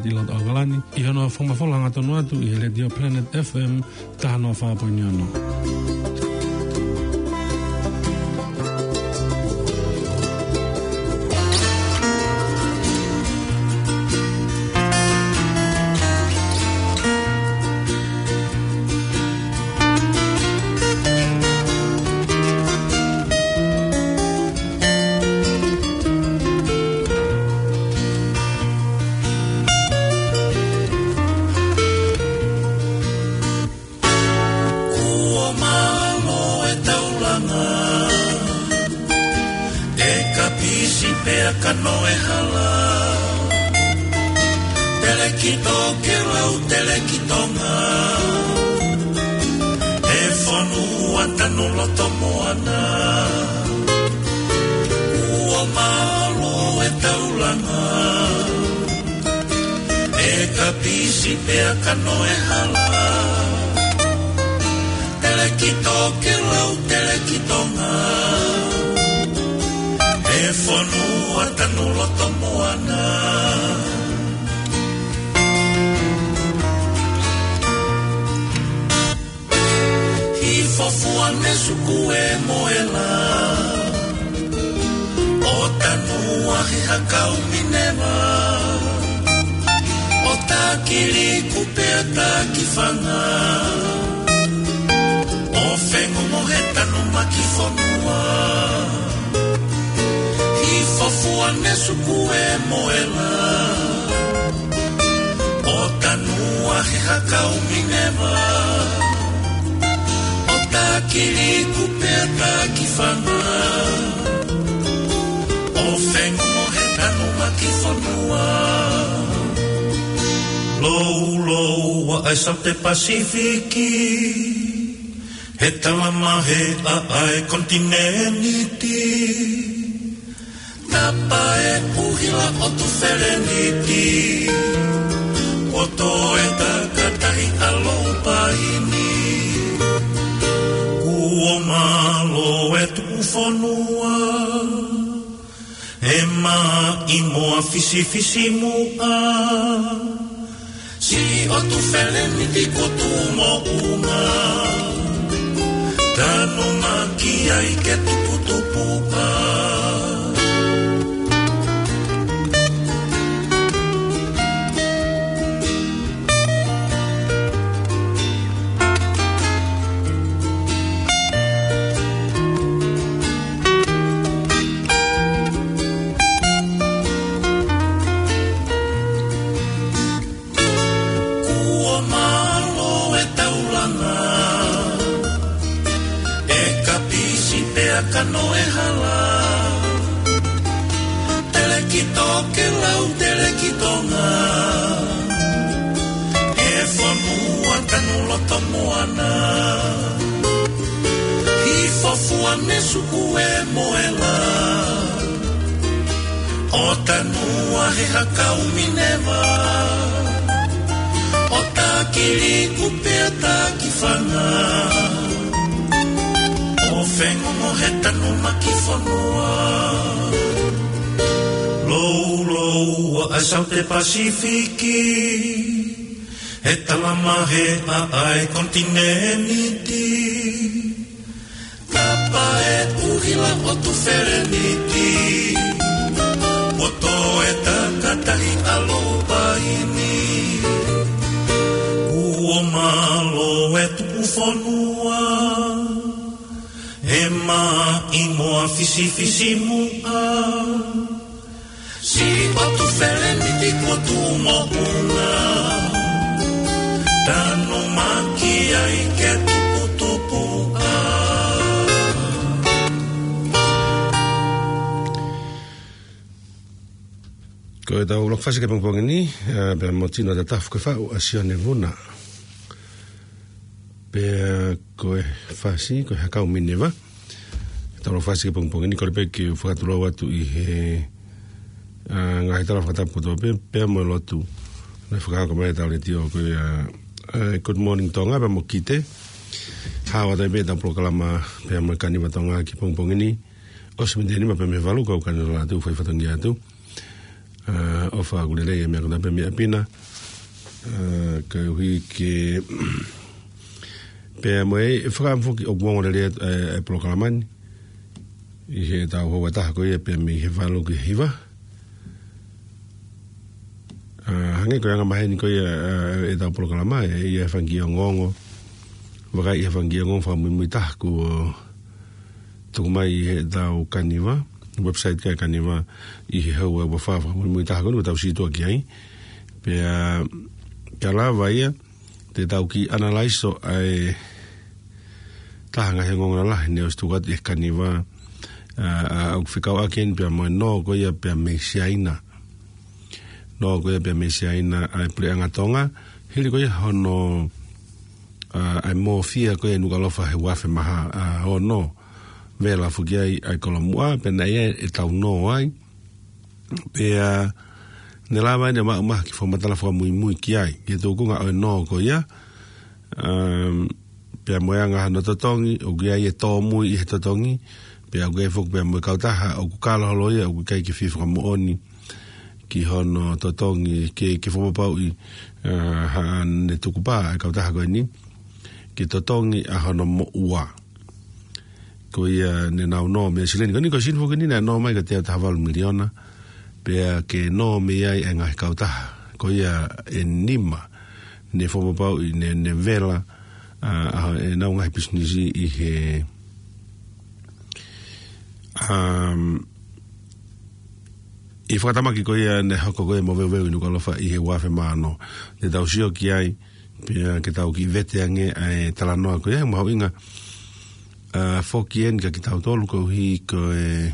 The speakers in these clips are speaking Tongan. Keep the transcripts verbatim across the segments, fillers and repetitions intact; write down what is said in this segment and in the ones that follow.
ʻi loto ʻAokalani, ʻi hono fakamafola hangatonu atu ʻi he Letiō Planet F M taha noa fā poini ono. Kuo mālō e taulanga, e kapisi pea kano e hala. Telekito ke lau, Telekitonga, e fonua tanu loto moana. Kuo mālō e taulanga, e kapisi pea kano e hala. Telekito ke lau, Telekitonga, e fonua tanu loto moana. Hifo fua ne suku e moela, ʻo tanua he hakau Mineva, ʻo takili kupe ʻa taki fanga, ʻo fengongo he tanumaki fonua. Hifo fua ne suku e moela, ʻo tanua he hakau Mineva, ʻo takili kupe ʻa taki fanga, ʻo fengongo he tanumaki fonua. Lou, lou, ʻa e Saute Pasifiki, he talamahe ʻa e konitinēniti. Tapa e ʻuhila ʻo Tufeleniti, kuo tō e takatahi ʻa Loupaini. Kuo mālō e tuʻu fonua, e maʻimoa fisifisimuʻa. Siʻi ʻo Tufeleniti kuo tuʻu moʻunga, tanumaki ai ke tuputupuʻa. Kuo mālō e taulanga, e kapisi pea kano e hala. Telekito ke lau, Telekitonga, e fonua tanu loto moana. Hifo fua ne suku e moela, ʻo tanua he hakau Mineva, ʻo takili kupe ʻa taki fanga, ʻo fengongo he tanumaki fonua. Lou, lou, ʻa e Saute Pasifiki, he talamahe ʻa e konitinēniti. Tapa e ʻuhila ʻo Tufeleniti, kuo tō e takatahi ʻa Loupaini. Kuo mālō e tuʻu fonua, e maʻimoa fisifisimuʻa. Siʻi ʻo Tufeleniti kuo tuʻu moʻunga, tanumaki ai ke tuputupuʻa. Ko ʻetau lōkufasi ki he pongipongi ni, ā, pea mo Tino Tatafu ke faʻu ʻa Sione Vuna. Pea ko e fasi, ko e hakau Mineva. Tau lōkufasi ki he pongipongi ni, kole pē ke u fakatulou atu ʻi he, ā, ngaahi tala fakatapu kotoa pē, pea mo e lotu. Naʻe fakahoko mai ʻe he Letiō ko ia, ā, Good Morning Tonga, pea mo Kite. Hao atu ai pē ʻetau polokalama, pea mo e Kaniva Tonga ki he pongipongi ni. ʻOsi miniti ʻe nima pē mei he valu, kau kani lala atu, fai fatongia atu. ʻOfa ʻoku lelei e meʻa ko ena pē mei ʻapi na. Ka ʻuhi ke pea mo e fakaʻamu foki ʻoku ongo lelei e polokalama ni ʻi heʻetau houa ʻe taha ko ia pea mei he valu ki he hiva. Hangē ko e anga maheni ko ia ʻetau polokalama, ʻe ʻi ai e fanga kiʻi ongoongo, vakai, ʻi ai e fanga kiʻi ongoongo fakamuimui taha kuo tuku mai ʻi heʻetau Kaniva, website ko ia Kaniva, ʻi he houa ʻe ua fā, fakamuimui taha ko eni kuo tau sītuʻa ki ai. Pea ka lava ia te tau kiʻi analaiso ʻa e taha e ngaahi ongoongo lalahi ne ʻosi tuku atu ʻe he Kaniva, ʻa ʻoku fekauʻaki eni pea mo e nō ko ia pea mei Siaina. Nō ko ia pea mei Siaina ʻa e Puleʻanga Tonga, hili ko ia hono ʻa e mōfia ko ia ʻa Nukuʻalofa he uafe mā ono, vela foki ai ʻa e kolomuʻa, pea naʻe ʻi ai ʻetau nō ai. Pea ne lava eni ʻo maʻu mai ha kiʻi fakamatala fakamuimui ki ai, ki he tuʻunga ʻo e nō ko ia, pea mo e anga hono totongi, ʻoku ʻi ai e tōmui ʻi he totongi, pea ʻoku ʻi ai foki pea mo e kautaha ʻoku kalo holo ia, ʻoku ʻikai ke fie fakamoʻoni ki hono totongi, ke, ke fakapapauʻi haʻane tukupā e kautaha ko eni ke totongi ʻa hono moʻua. Ko ia ne nau nō mei he silini ko eni, ko e silini foki eni naʻe nō mai ko e teau taha valu miliona, pea ke nō mei ai e ngaahi kautaha ko ia ʻe nima ne fakapapauʻi ne, ne vela ʻa ʻenau ngaahi pisinisi ʻi he ʻi he fakatamaki ko ia ne hoko ko ia e moveuveu ʻi Nukuʻalofa ʻi he uafe mā ono. Te tau sio ki ai pea ke tau kiʻi vete ange ʻa e talanoa ko ia, he mahuʻinga foki eni kiate kitautolu koeʻuhi ko e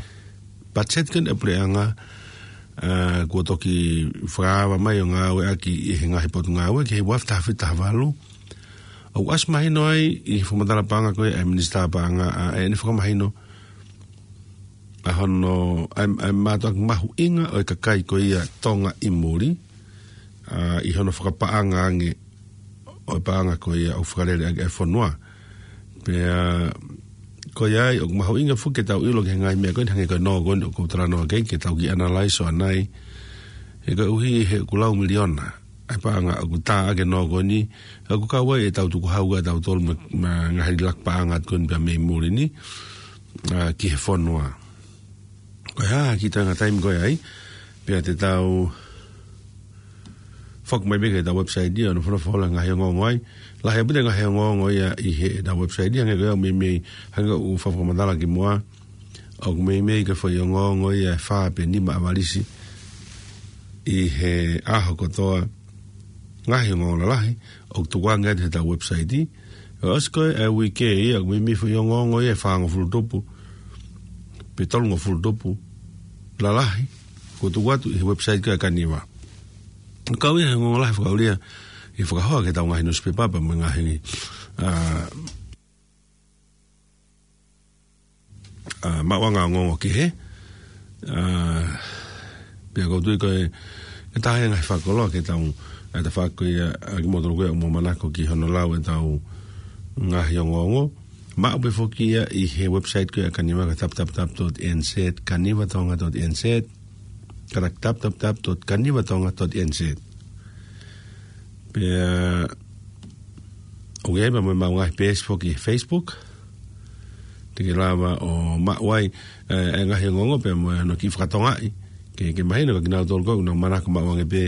patiseti ko eni ʻa e puleʻanga kuo toki fakaava mai ʻo ngāueʻaki ʻi he ngaahi potungāue ki he uafe taha fitu taha valu. ʻOku ʻasi mahino ai ʻi he fakamatala paʻanga ko ia ʻa e Minisitā Paʻanga ʻa ʻene fakamahino ʻa hono, ʻa e, ʻa e mātuʻaki mahuʻinga ʻo e kakai ko ia Tonga ʻi muli, ʻa, ʻi hono fakapaʻanga ange ʻo e paʻanga ko ia ʻoku fakalele ʻaki e fonua. Pea ko ia ai ʻoku mahuʻinga foki ke tau ʻilo ki he ngaahi meʻa ko eni, hangē ko e nō ko eni ʻoku ou talanoa ki ai, ke tau kiʻi analaiso ʻanai. He koeʻuhi he ʻoku lau miliona ʻa e paʻanga ʻoku tā ʻaki e nō ko eni, ʻoku kau ai ʻetau tukuhau ʻa tautolu mo e, mo e ngaahi laki paʻanga ko eni pea mei muli ni, ʻa, ki he fonua. Ko e hā ha kiʻi toenga taimi ko ia ai, pea te tau foki mai pē ki heʻetau website ia ʻo nofo nofo holo e ngaahi ongoongo ai. Lahi ʻaupito e ngaahi ongoongo ia ʻi heʻetau website ia, hangē ko ia ʻoku meimei, hangē ko ʻeku fakamatala kimuʻa, ʻoku meimei ko e foʻi ongoongo ia ʻe fā pe nima ʻavalisi ʻi he ʻaho kotoa, ngaahi ongoongo lalahi ʻoku tukuange atu heʻetau website. ʻOsi ko e uike ia, ʻoku meimei foʻi ongoongo ia ʻe fāngofulu tupu pe tolungofulu tupu lalahi kuo tuku atu ʻi he website ko ia Kaniva. Kau ia he ongoongo lahi fakaʻulia ʻi he fakahoa ki heʻetau ngaahi nusipepa pea mo e ngaahi, ʻa, ʻa, maʻuʻanga ongoongo kehe. ʻA, pea ʻoku ou tui ko e, ko e taha ia e ngaahi fakakoloa ke tau, ʻa, tafaʻaki ko ia ʻa kimoutolu ko ia ʻoku mou manako ki hono lau ʻetau ngaahi ongoongo. Maʻu pē foki ia ʻi he website ko ia Kaniva, ko e www dot N Z, kanivatonga dot N Z, katak www dot kanivatonga dot N Z. Pea ʻoku ʻi ai pea mo e maʻu ngaahi peesi foki he Facebook. Te ke lava ʻo maʻu ai, ʻe, e ngaahi ongoongo pea mo hono kiʻi fakatongaʻi. Ke, ke mahino kia kinautolu ko ē ʻoku nau manako maʻu ange pē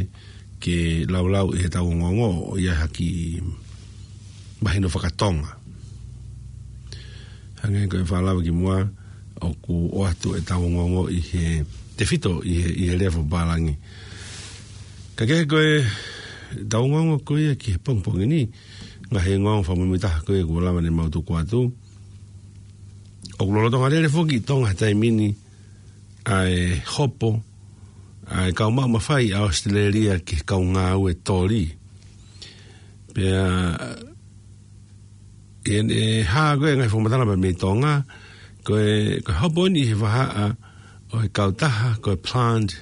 ke laulau ʻi heʻetau ongoongo ʻo ʻi ai ha kiʻi mahino fakatonga. Hangē ko e fakalava kimuʻa, ʻoku ʻoatu ʻetau ongoongo ʻi he tefito ʻi he, ʻi he lea fakapālangi. Ka kehe ko ʻetau ongoongo ko ia ki he pongipongi ni, ngaahi ongoongo fakamuimui taha ko ia kuo lava ne mau tuku atu. ʻOku lolotonga lele foki ʻi Tonga he taimi ni ʻa e hopo ʻa e kau maʻu mafai ʻa ʻAositelēlia ki he kau ngāue toli. Pea ʻi heʻene hā ko ē e ngaahi fakamatala pea mei Tonga, ko e, ko e hopo eni ʻi he vahaʻa ʻo e kautaha ko e Plant,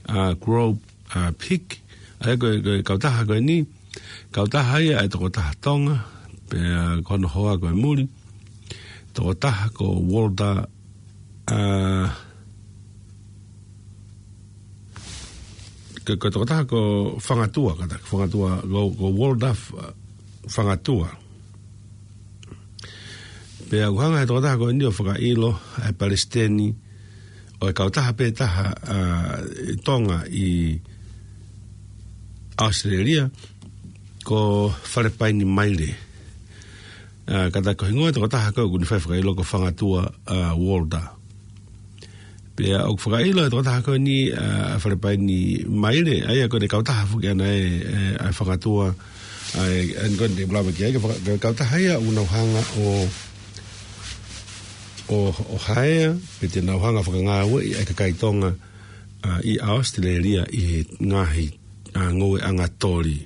ʻa, Grow, ʻa, Pick, ʻa ia ko e, ko e kautaha ko eni, kautaha ia ʻa e tokotaha Tonga, pea ko hono hoa ko e muli, tokotaha ko Walter, ʻa, ko, ko e tokotaha ko Fangatua, kātaki Fangatua, ko, ko Walter F-, Fangatua. Pea ʻoku hanga he tokotaha ko eni ʻo fakaʻilo ʻa e palesiteni ʻo e kautaha pē taha, ʻa, ʻi Tonga ʻi ʻAositelēlia, ko Falepaini Maile. ʻA, kātaki ko e hingoa e tokotaha ko ē ʻoku ne fai fakaʻilo ko Fangatua, ʻa, Walter. Pea ʻoku fakaʻilo e tokotaha ko eni, ʻa, Falepaini Maile, ʻa ia ko ʻene kautaha foki ʻana ē, ʻe, ʻa Fangatua, ʻa, ʻa, ko ʻene lava ki ai, ko e faka-, ko e kautaha ia ʻoku nau hanga ʻo, ʻo, ʻo haea, pe te nau hanga fakangāueʻi ʻa e kakai Tonga, ʻa, ʻi ʻAositelēlia ʻi he ngaahi, ʻa, ngoueʻanga toli,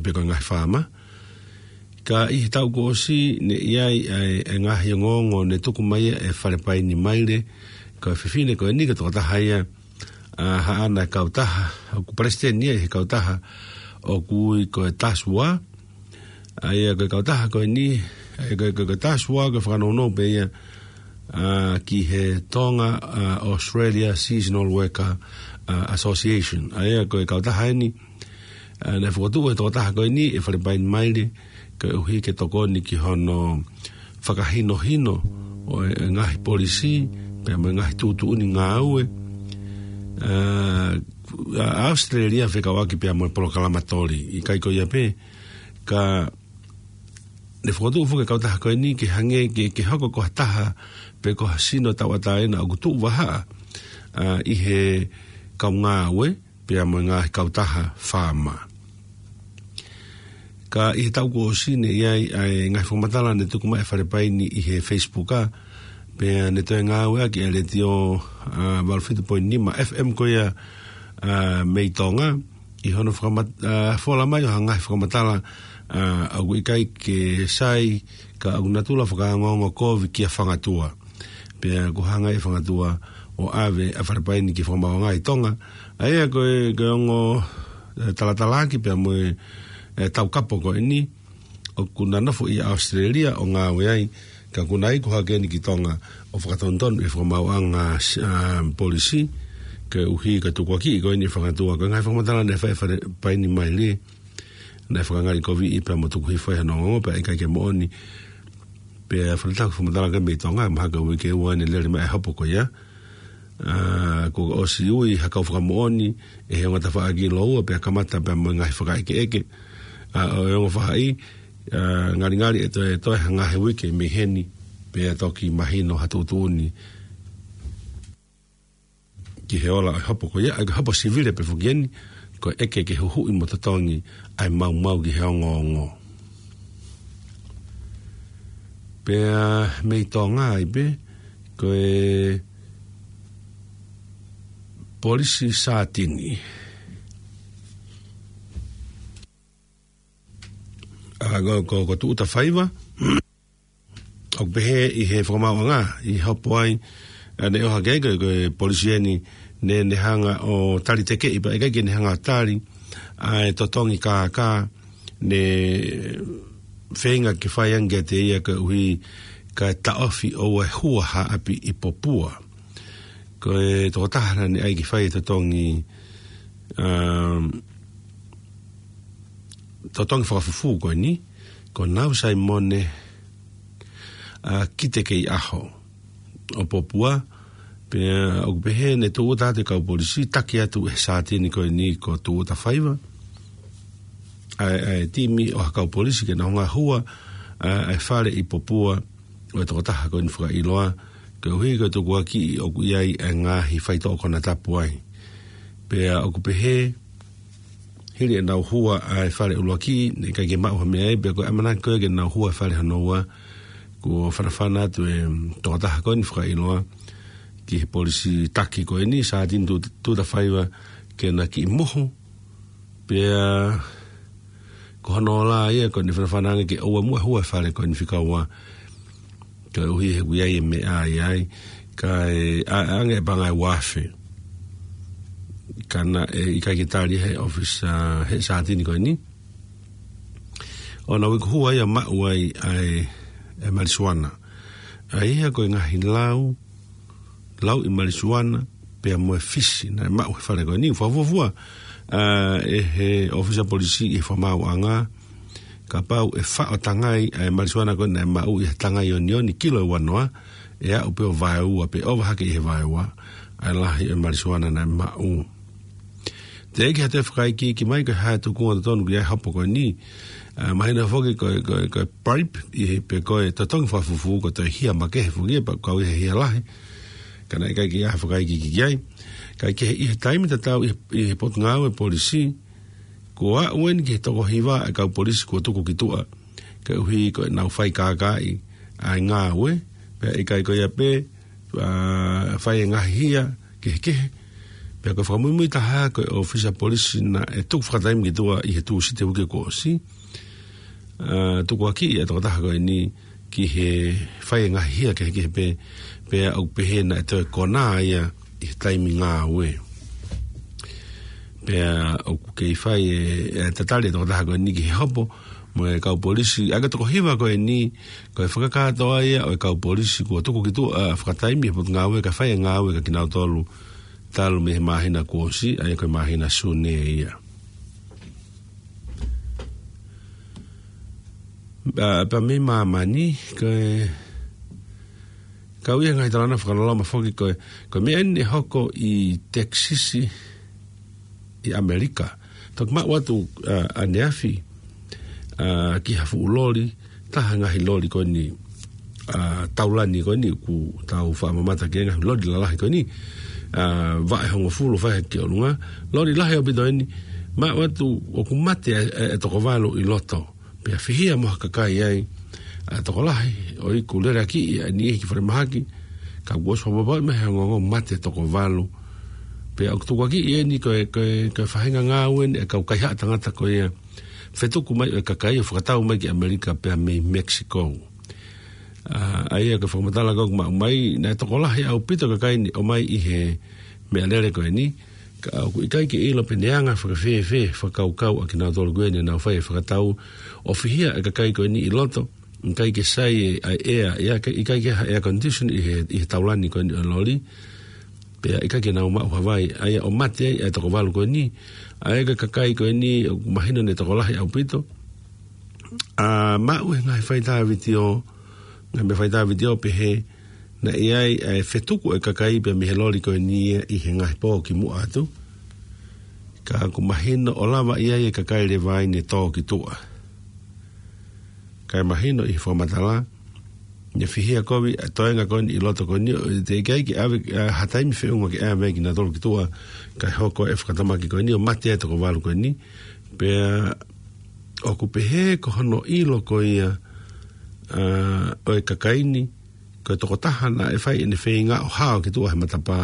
pe ko e ngaahi faama. Ka ʻi he taʻu kuo ʻosi ne ʻi ai ʻa e, ʻa e ngaahi ongoongo ne tuku mai ʻe Falepaini Maile, ko e fefine ko eni ko e tokotaha ia, ʻa, haʻana e kautaha, ʻoku palesiteni ia ʻi he kautaha ʻoku ui ko e TASUA, ʻa ia ko e kautaha ko eni, ʻa ia ko e, ko e, ko e TASUA ko e fakanounou pē ia, ʻa, ki he Tonga, ʻa, Australia Seasonal Worker, ʻa, Association. ʻA ia ko e kautaha eni, ʻa, naʻe fokotuʻu ʻe he tokotaha ko eni ʻe Falepaini Maile, koeʻuhi ke tokoni ki hono fakahinohino ʻo e, e ngaahi polisī, pea mo e ngaahi tuʻutuʻuni ngāue, ʻa, ʻa, ʻAositelēlia fekauʻaki pea mo e polokalama toli, ʻikai ko ia pē, ka ne fokotuʻu foki e kautaha ko eni ke hangē ke, ke hoko ko ha taha, pe ko ha sino tauʻatāina ʻoku tuʻu vahaʻa, ʻa, ʻi he kau ngāue, pea mo e ngaahi kautaha faama. Ka ʻi he taʻu kuo ʻosi ne ʻi ai ʻa e ngaahi fakamatala ne tuku mai ʻe Falepaini ʻi he Facebook ʻa, pea ne toe ngāueʻaki ʻa e letiō, ʻa, valu fitu poini nima F M ko ia, ʻa, mei Tonga, ʻi hono fakamat-, ʻa, fola mai ʻo ha ngaahi fakamatala, ʻa, ʻoku ʻikai ke sai, ka ʻoku natula fakaongoongo kovi kia Fangatua. Pea ʻoku hanga ʻe Fangatua ʻo ʻave ʻa Falepaini ki he fakamaauʻanga ʻi Tonga. ʻA ia ko e, ko e ongo, ʻe, talatalaaki pea mo e, ʻe, taukapo ko eni, ʻoku na nofo ʻi ʻAositelēlia ʻo ngāue ai, ka ʻoku na iku hake eni ki Tonga ʻo fakatonutonu ʻi he fakamaauʻanga, ʻa, polisī, koeʻuhi ko e tukuakiʻi ko eni ʻe Fangatua, ko e ngaahi fakamatala ne fai ʻe Falepaini Maile, naʻe fakangalikoviʻi pea mo tukuhifo ʻi hono ongoongo, pea ʻikai ke moʻoni. Pea faletāku fakamatala ko ē mei Tonga, mahalo ko e uike ua ne lele mai e hopo ko ia. ʻA, kuo ʻosi ui ha kau fakamoʻoni ʻe he ongo tafaʻaki ʻi Loua, pea kamata pea mo e ngaahi fakaʻekeʻeke, ʻa, ʻo e ongo faʻahi, ʻa, ngalingali ʻe toe, toe ha ngaahi uike mei heni, pea toki mahino ha tuʻutuʻuni ki he ola ʻo e hopo ko ia, ʻa e hopo sivile pē foki eni, ko e ʻeke ke huhuʻi mo totongi ʻa e maumau ki he ongoongo. Pea mei Tonga ai pē, ko e polisi Sātini. ʻA, ko, ko, ko Tuʻutafaiva, ʻoku pehē ʻi he fakamaauʻanga, ʻi he hopo ai, ʻa, ne ʻohake ai ko e, ko e polisi eni, ne, ne hanga ʻo tali tekeʻi pea ʻikai ke ne hanga ʻo tali, ʻa e totongi kākā, ne feinga ke fai ange kiate ia koeʻuhi ka taʻofi ʻo e hua ha ʻapi ʻi Popua. Ko e tokotaha naʻa ne ʻai ke fai e totongi, um, totongi fakafufū ko eni, ko Nau Saimone, ʻa, Kitekeiʻaho ʻo Popua, pea ʻoku pehē ne tūʻuta atu e kau polisi, taki atu ʻe he Sātini ko eni ko Tuʻutafaiva, ʻa e, ʻa e timi ʻo ha kau polisi ke nau hanga ʻo hua, ʻa, ʻa e fale ʻi Popua, ʻo e tokotaha ko eni fakaʻiloa, koeʻuhi ko e tukuakiʻi ʻoku ʻi ai e ngaahi faitoʻo konatapu ai. Pea ʻoku pehē, hili ʻenau hua ʻa e fale ʻuluaki, ne ʻikai ke maʻu ha meʻa ai, pea ko e ʻamanaki ko ē ke nau hua e fale hono ua, kuo fanafana atu e, mm, tokotaha ko eni fakaʻiloa ki he polisi taki ko eni, Sātini Tuʻu-, Tuʻutafaiva, ke na kiʻi mohu, pea ko hono ola ia ko ʻene fanafana ange ke ʻoua muʻa hua e fale ko eni fika ua, koeʻuhi he ʻoku ʻi ai e meʻa ʻi ai, kae ʻa-, ʻange e paʻanga ʻe ua afe. Ka naʻe ʻikai ke tali he ʻōfisi, ʻa, he Sātini ko eni. ʻO na uiku hua ia maʻu ai ʻa e, e malisuana. ʻA ia ko e ngaahi lau, lau ʻi malisuana, pea mo e fisi, naʻe maʻu he fale ko eni, fuafua, ʻa, ʻe he ʻōfisa polisi ʻi he fakamaauʻanga, kapau ʻe faʻo tangai ʻa e malisiuana ko ē naʻe maʻu ʻi he tangai onioni kilo ʻe uanoa, ʻe aʻu pē ʻo vaeua pe ʻova hake ʻi he vaeua ʻa e lahi ʻo e malisiuana naʻe maʻu. Teʻeki ha toe fakaikiiki mai ko e hā e tūkunga totonu ki he hopo ko eni. ʻA, mahino foki ko e, ko e, ko e bribe ʻi he pe ko e totongi fakafufū ko e toe hia makehe foki ia pea ʻoku kau ia he hia lahi. Ka naʻe ʻikai ke ʻi ai ha fakaikiiki ki ai. Ka ʻi he, ʻi he taimi tatau ʻi he, ʻi he potungāue polisi, kuo aʻu eni ki he toko hiva e kau polisi kuo tuku ki tuʻa. Koeʻuhi ko ʻenau fai kākaaʻi ʻa e ngāue, pea ʻikai ko ia pē, ʻa, fai e ngaahi hia kehekehe. Pea ko e fakamuimui taha ko e ʻōfisa polisi naʻe tuku fakataimi ki tuʻa ʻi he Tūsite uike kuo ʻosi. ʻA, tukuakiʻi e tokotaha ko eni ki he fai e ngaahi hia kehekehe pē, pea ʻoku pehē naʻe toe konā ia ʻi he taimi ngāue. Pea ʻoku kei fai e, e tatali e tokotaha ko eni ki he hopo mo e kau polisi. ʻA, ko e toko hiva ko eni, ko e fakakātoa ia ʻo e kau polisi kuo tuku ki tuʻa, ʻa, fakataimi he potungāue ka fai e ngāue kia kinautolu talu mei he māhina kuo ʻosi, ʻa ia ko e māhina Sune ia. ʻA, pea mei māmani, ko e, kau ia ngaahi talanoa fakaloloma foki ko e, ko e meʻa eni ʻe hoko ʻi Texas ʻi ʻAmelika. Toki maʻu atu, ʻa, ʻaneafi, ʻa, ki ha fuʻu loli, taha ngaahi loli ko eni, ʻa, taulani ko eni ʻoku tau fakamamata ki he ngaahi loli lalahi ko eni, ʻa, vaʻe hongofulu fai hake ki ʻolunga, loli lahi ʻaupito eni, maʻu atu ʻoku mate e, e, e toko valu ʻi loto. Pea fihia mo ha kakai ai, ʻa, tokolahi, ʻo ʻiku lele ʻaki ʻa e niʻihi ki falemahaki, ka kuo ʻosi fakapapauʻi mai he ongoongo mate toko valu. Pea ʻoku tukuakiʻi eni ko e, ko e, ko e faʻahinga ngāue eni e kau kaihaʻa tangata ko ia, fetuku mai ʻo e kakai ʻo fakatau mai ki ʻAmelika pea mei Mexico. ʻA, ʻa ia ko e fakamatala ko ē ʻoku maʻu mai, naʻe tokolahi ʻaupito kakai ni ʻomai ʻi he meʻalele ko eni, ka ʻoku ʻikai ke ʻilo pe naʻe anga fakafēfē fakakaukau ʻa kinautolu ko eni naʻa nau fai e fakatau ʻo fihia e kakai ko eni ʻi loto, ʻikai ke sai e, ʻa e ʻea, ʻikai, ʻikai ke ha air condition ʻi he, ʻi he taulani ko eni ʻo e loli, pea ʻikai ke nau maʻu ha vai, ʻa ia ʻo mate ai ʻa e toko valu ko eni, ʻa ia ko e kakai ko eni ʻoku mahino naʻe tokolahi ʻaupito, ʻa, maʻu he ngaahi faitā vitiō, ngaahi meʻa faitā vitiō pehē, naʻe ʻi ai ʻa e fetuku e kakai pea mei he loli ko eni ia ʻi he ngaahi pō kimuʻa atu. Ka ʻoku mahino ʻo lava ʻi ai e kakai leva ai ne tō ki tuʻa. Kae mahino ʻi he fakamatala, ne fihia kovi ʻa e toenga ko eni ʻi loto ko eni, ʻo teʻeki ai ke ʻave, ʻa, ha taimi feʻunga ke ʻave kinautolu ki tuʻa, kae hoko e fakatamaki ko eni ʻo mate e toko valu ko eni. Pea ʻoku pehē ko hono ʻilo ko ia, ʻa, ʻo e kakai ni, ko e tokotaha naʻe fai ʻene feinga ʻo hao ki tuʻa he matapā,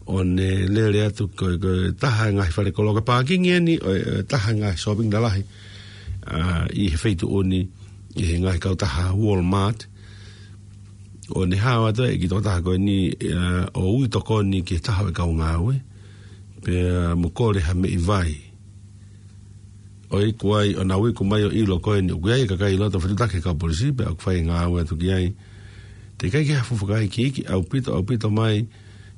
ʻo ne lele atu ko, ko e taha e ngaahi fale koloa, ko e pākingi eni ʻo e, ʻo e taha e ngaahi shopping lalahi, ʻa, ʻi he feituʻu ni, ʻi he ngaahi kautaha Walmart, ʻo ne hao atu ai ki he tokotaha ko eni, ʻa, ʻo ui tokoni ki he taha ʻo e kau ngāue, pea mo kole ha meʻi vai. ʻO ʻiku ai, ʻo nau ʻiku mai ʻo ʻilo ko eni ʻoku ʻi ai e kakai ʻi loto, fetuʻutaki he kau polisi, pea ʻoku fai e ngāue atu ki ai. Teʻeki ai ke ha fuʻu fakaikiiki ʻaupito, ʻaupito mai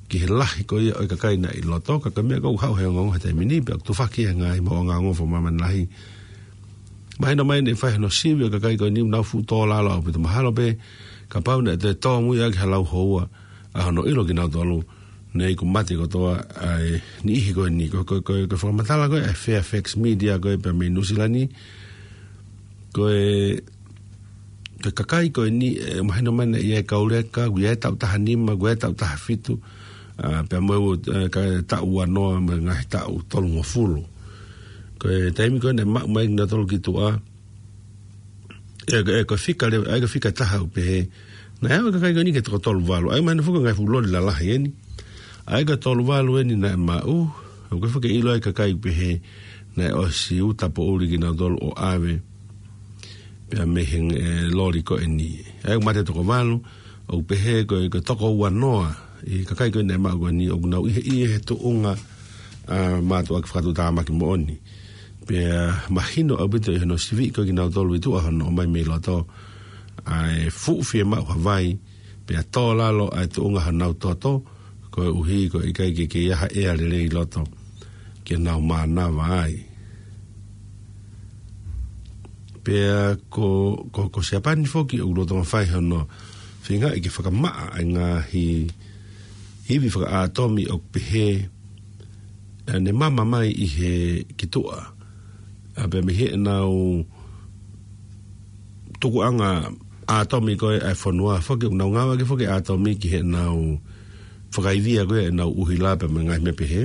ki he lahi ko ia ʻo e kakai naʻe ʻi loto, ka ko e meʻa ʻoku haʻu he ongoongo he taimi ni, pea ʻoku tufaki e ngaahi maʻuʻanga ongo fakamāmani lahi. Mahino mai naʻe fai hono sivi ʻo e kakai ko eni ʻoku nau fuʻu tō lalo ʻaupito, mahalo pē kapau naʻe toe tōmui ʻaki ha lau houa ʻa hono ʻilo kinautolu, naʻe ʻiku mate kotoa ʻa e niʻihi ko eni. Ko, ko, ko, ko e fakamatala ko ē ʻa e Fairfax Media ko ē pea mei Nuʻu Sila ni, ko e, ko e kakai ko eni, ʻe mahino mai naʻe ʻi ai e kau leka, ʻoku ʻi ai e taʻu taha nima, ʻoku ʻi ai e taʻu taha fitu, ʻa, pea mo e, ʻa, ka taʻu uanoa mo e ngaahi taʻu tolungofulu. Ko e taimi ko ē naʻe maʻu mai kinautolu ki tuʻa, ʻe, ʻe, ko e fika le-, ʻa ia ko e fika taha ʻoku pehē, naʻe aʻu e kakai ko eni ki he toko tolu valu, ʻa ia mahino foki ko e ngaahi fuʻu loli lalahi eni. ʻA ia ko e tolu valu eni naʻe maʻu, ʻoku ʻikai foki ke ʻilo ai e kakai ʻoku pehē naʻe ʻosi uta poʻuli kinautolu ʻo ʻave pea mei he, ʻe, loli ko eni. ʻA ia ʻoku mate toko valu, ʻoku pehē ko e, ko e toko uanoa ʻi he kakai ko ē naʻe maʻu ko eni ʻoku nau ʻi he, ʻi he tuʻunga, ʻa, mātuʻaki fakatuʻutāmaki moʻoni. Pea mahino ʻaupito ʻi hono sivi ko ē kinautolu ʻi tuʻa hono ʻomai mei loto, ʻa e fuʻu fiemaʻu ha vai, pea tō lalo ʻa e tuʻunga honau toto, koeʻuhi ko e ʻikai ke kei ʻi ai ha ʻea lelei ʻi loto. ke nau mānava ai. Pea ko, ko, ko Siapani foki ʻoku lolotonga fai hono feingaʻi ke fakamaʻa ʻa e ngaahi ivi fakaʻātomi ʻoku pehē, ʻa ʻene mama mai ʻi he kituʻa. ʻA pea mei heʻenau tukuʻanga ʻātomi ko ē ʻa e fonua foki, ʻoku nau ngāueʻaki foki ʻātomi ki heʻenau fakaivia ko ē ʻenau ʻuhila pea mo e ngaahi meʻa pehē.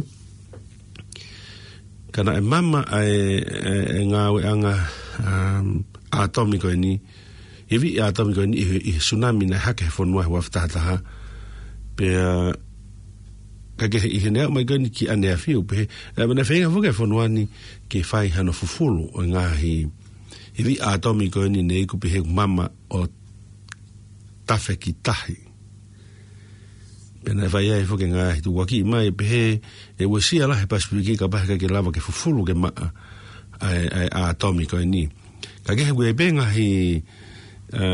Ka naʻe mama ʻa e, e, e ngāueʻanga, um, ʻātomi ko eni, ivi ʻātomi ko eni ʻi he, ʻi he tsunami naʻe hake he fonua he ua afe taha taha. Pea, ka ke he, ʻi heʻene aʻu mai ko eni ki ʻaneafi ʻoku pehē, e, naʻe feinga foki e fonua ni ke fai hano fufulu ʻo e ngaahi ivi ʻātomi ko eni ne iku pehē ʻoku mama ʻo tafe ki tahi. Pea naʻe fai ai foki e ngaahi tukuakiʻi mai pehē ʻe uesia lahi e Pasifiki kapau he ʻikai ke lava ke fufulu ke maʻa ʻa e, ʻa e ʻātomi ko eni. Ka ke he ʻoku ʻi ai pē ngaahi, ā,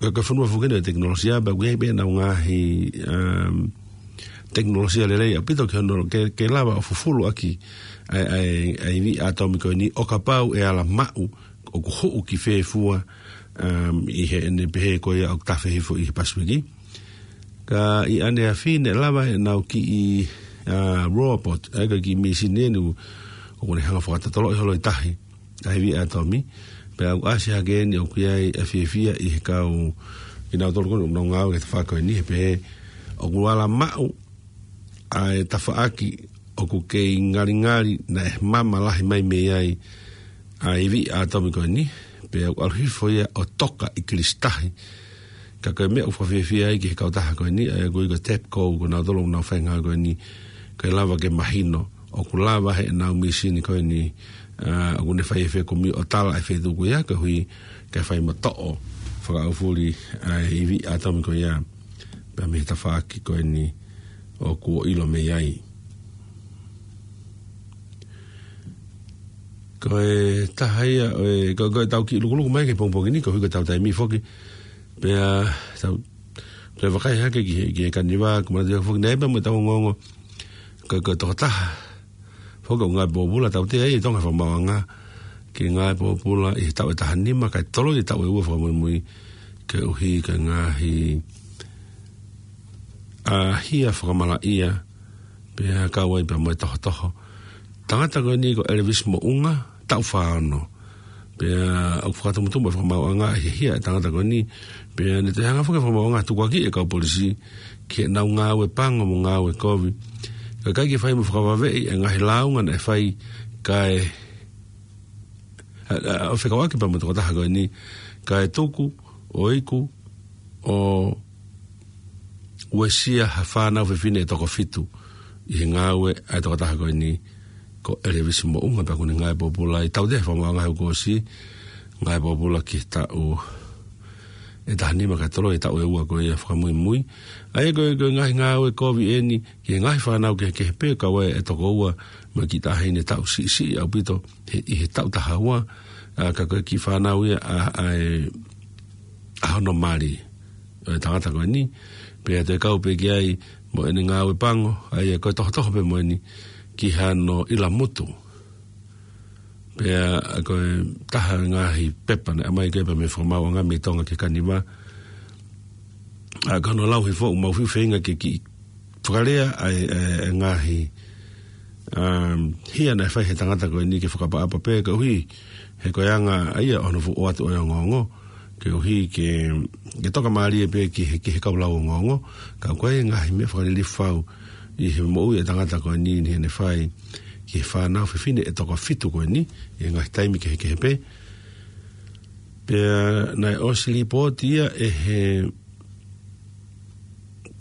ka, ka fonua foki ʻoku ʻi ai e tekinolosia, pea ʻoku ʻi ai pē ʻenau ngaahi, um, tekinolosia lelei ʻaupito ke hono, ke, ke lava ʻo fufulu ʻaki ʻa e, ʻa e, ʻa e ivi ʻātomi ko eni ʻo kapau ʻe ala maʻu ʻoku hoʻo ki fē fua, um, ʻi heʻene pehē ko ia ʻoku tafe hifo ʻi he Pasifiki. Ka ʻi ʻaneafi naʻe lava ʻenau kiʻi, ā, robot, ʻa e kiʻi mīsini eni ʻoku ne hanga ʻo fakatotoloʻi holo ʻi tahi ʻa e ivi ʻātomi. Pea ʻoku ʻasi hake eni ʻoku ʻi ai e fiefia ʻi he kau kinautolu ko eni ʻoku nau ngāue ki he tafaʻaki ko eni he pehē ʻoku ala maʻu ʻa e tafaʻaki ʻoku kei ngalingali naʻe mama lahi mai mei ai ʻa e ivi ʻātomi ko eni, pea ʻoku ʻalu hifo ia ʻo toka ʻi kilisitahi. Ka ko e meʻa ʻoku fakafiefia ai ki he kautaha ko eni, ʻa ia ʻoku ui ko e TEPCO, ko nautolu ʻoku nau fai e ngāue ko eni, ke lava ke mahino ʻoku lava heʻenau mīsini ko eni, ā, ʻoku ne fai e fekumi ʻo tala e feituʻu ko ia, koeʻuhi ke fai mo toʻo fakaʻaufuli ʻa e ivi ʻātomi ko ia pea mei he tafaʻaki ko eni ʻoku ʻilo mei ai. Ko e taha ia ʻo e, ko, ko ʻetau kiʻi lukuluku mai ki he pongipongi ni, koeʻuhi ko ʻetau taimi foki. Pea tau toe vakai hake ki he, ki he kaniva, ko e manatu ia foki, naʻe pea mo ʻetau ongoongo ko, ko e tokotaha foki ʻoku ngāue pōpula, tautea ai ʻi Tonga he fakamaauʻanga ke ngāue pōpula ʻi he taʻu ʻe taha nima kae toloi e taʻu ʻe ua fakamuimui, koeʻuhi ko e ngaahi, ā, hia fakamalaʻia, pea kau ai pea mo e tohotoho. Tangata ko eni ko Elvis Moʻunga, taʻu fā ono. Pea ʻoku fakatumutumu e fakamaauʻanga ʻi he hia e tangata ko eni. Pea ne toe hanga foki e fakamaauʻanga ʻo tukuakiʻi e kau polisi ki heʻenau ngāue pango mo ngāue kovi. Kae ʻikai ke fai mo fakavaveʻi e ngaahi lāunga naʻe fai kae, ā, ā, ʻo fekauʻaki pea mo e tokotaha ko eni, kae tuku ʻo iku ʻo uesia ha fānau fefine ʻe toko fitu ʻi he ngāue ʻa e tokotaha ko eni ko Elvis Moʻunga, pea ʻoku ne ngāue pōpula ai, tautea he fakamaauʻanga he kuo ʻosi, ngāue pōpula ki he taʻu ʻe taha nima kae toloi e taʻu ʻe ua ko ia fakamuimui. ʻA ia ko e, ko e ngaahi ngāue kovi eni ki he ngaahi fānau kehekehe pē, kau ai e tokoua mo e kiʻi taʻahine taʻu siʻisiʻi ʻaupito he, ʻi he taʻu taha ua, ā, ka ko e kiʻi fānau ia ʻa, ʻa e, ʻa hono mali ʻo e tangata ko eni, pea toe kau pē ki ai mo ʻene ngāue pango, ʻa ia ko e tohotoho pē mo eni ki hano ʻilamutu. Pea ko e taha e ngaahi pepa naʻe ʻomai ko ē pea mei he fakamaauʻanga mei Tonga ki he kaniva. ʻA, ko hono lau hifo ʻoku mau fiu feinga ke kiʻi fakalea ʻa e, ʻa e, ʻa e ngaahi, um, hia naʻe fai he tangata ko eni ke fakaʻapaʻapa pē, koeʻuhi he ko e anga ʻa ia ʻo hono fuʻu ʻoatu ʻo e ongoongo, koeʻuhi ke, ke tokamālie pē ki he, ki he kau lau ongoongo, ka ko e ngaahi meʻa fakalilifu fau ʻi he moʻui e tangata ko eni ni heʻene fai ki he fānau fefine ʻe toko fitu ko eni, ʻi he ngaahi taimi kehekehe pē. Pea naʻe ʻosi lipooti ia ʻe he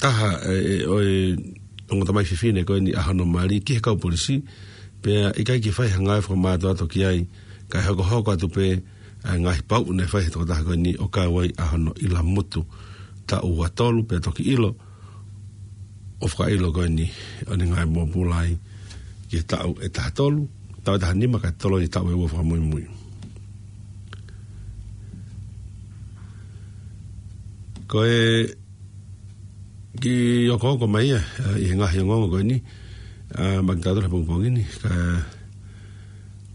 taha, ʻe, ʻe, ʻo e ongo tamai fefine ko eni ʻa hono mali ki he kau polisi, pea ʻikai ke fai ha ngāue fakamātoato ki ai, kae hokohoko atu pē ʻa e ngaahi pauʻu naʻe fai he tokotaha ko eni ʻo kau ai ʻa hono ʻilamutu taʻu ua tolu, pea toki ʻilo ʻo fakaʻilo ko eni ʻo ne ngāue pōpula ai ki he taʻu ʻe taha tolu, taʻu ʻe taha nima kae toloi e taʻu ʻe ua fakamuimui. Ko e kiʻi okooko mai ia, ā, ʻi he ngaahi ongoongo ko eni, ʻa, maʻa kitautolu he pongipongi ni, ka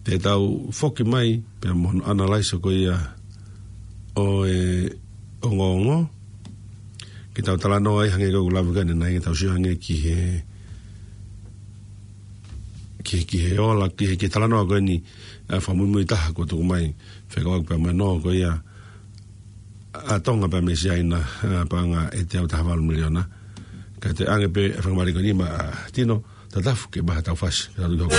te tau foki mai, pea mo hono analyze ko ia ʻo e ongoongo, ke tau talanoa ai hangē ko ʻeku lave ko eni, naʻe ke tau sio hangē ki he, ki, ki he ola, ki he, ki he talanoa ko eni, ʻa, fakamuimui taha kuo tuku mai, fekauʻaki pea mo e nō ko ia, ʻa Tonga pea mei Siaina, ʻa, paʻanga ʻe teau taha valu miliona. Ka te ʻange pē ʻa e faingamālie ko eni maʻa Tino, Tatafu ke maʻu ha tau fasi, ke tau tuki hoko.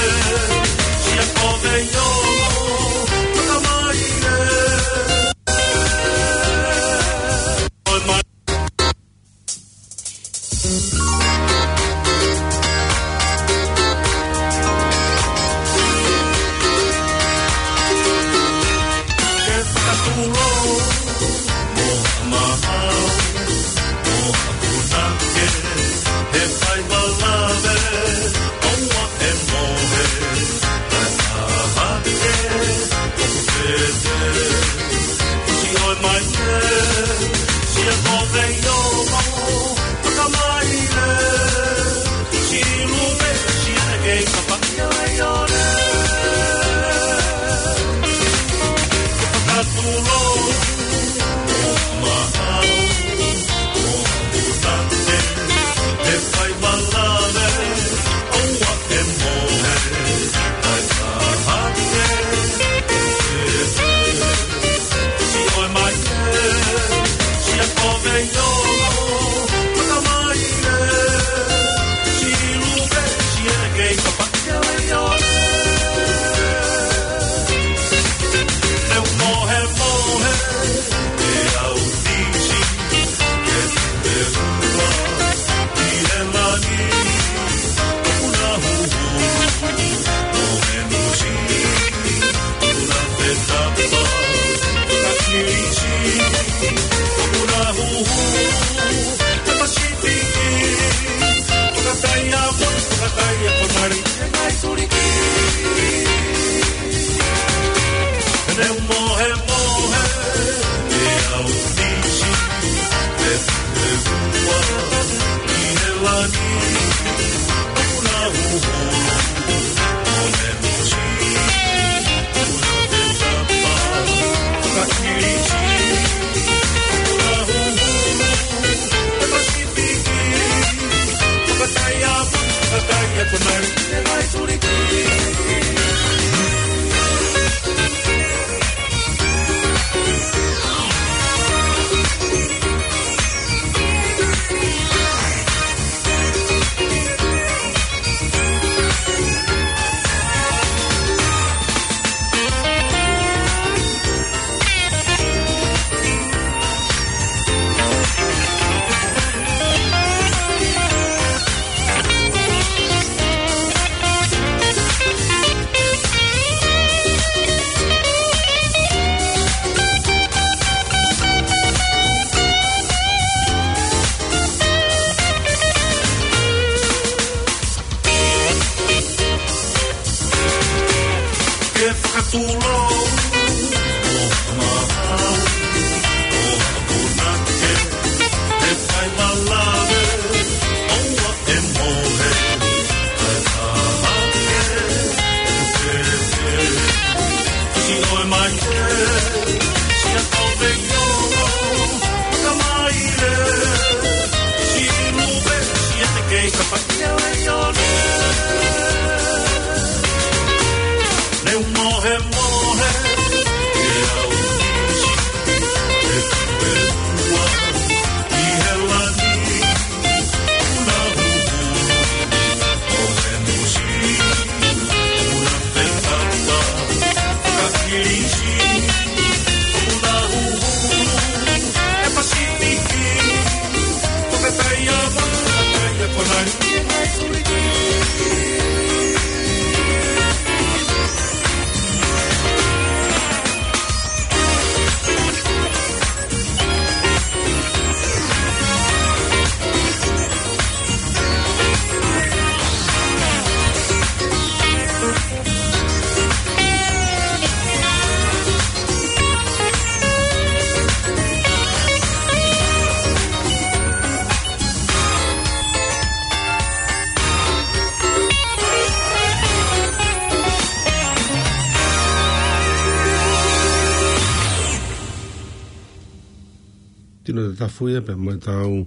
Tino Tatafu ia pea mo ʻetau,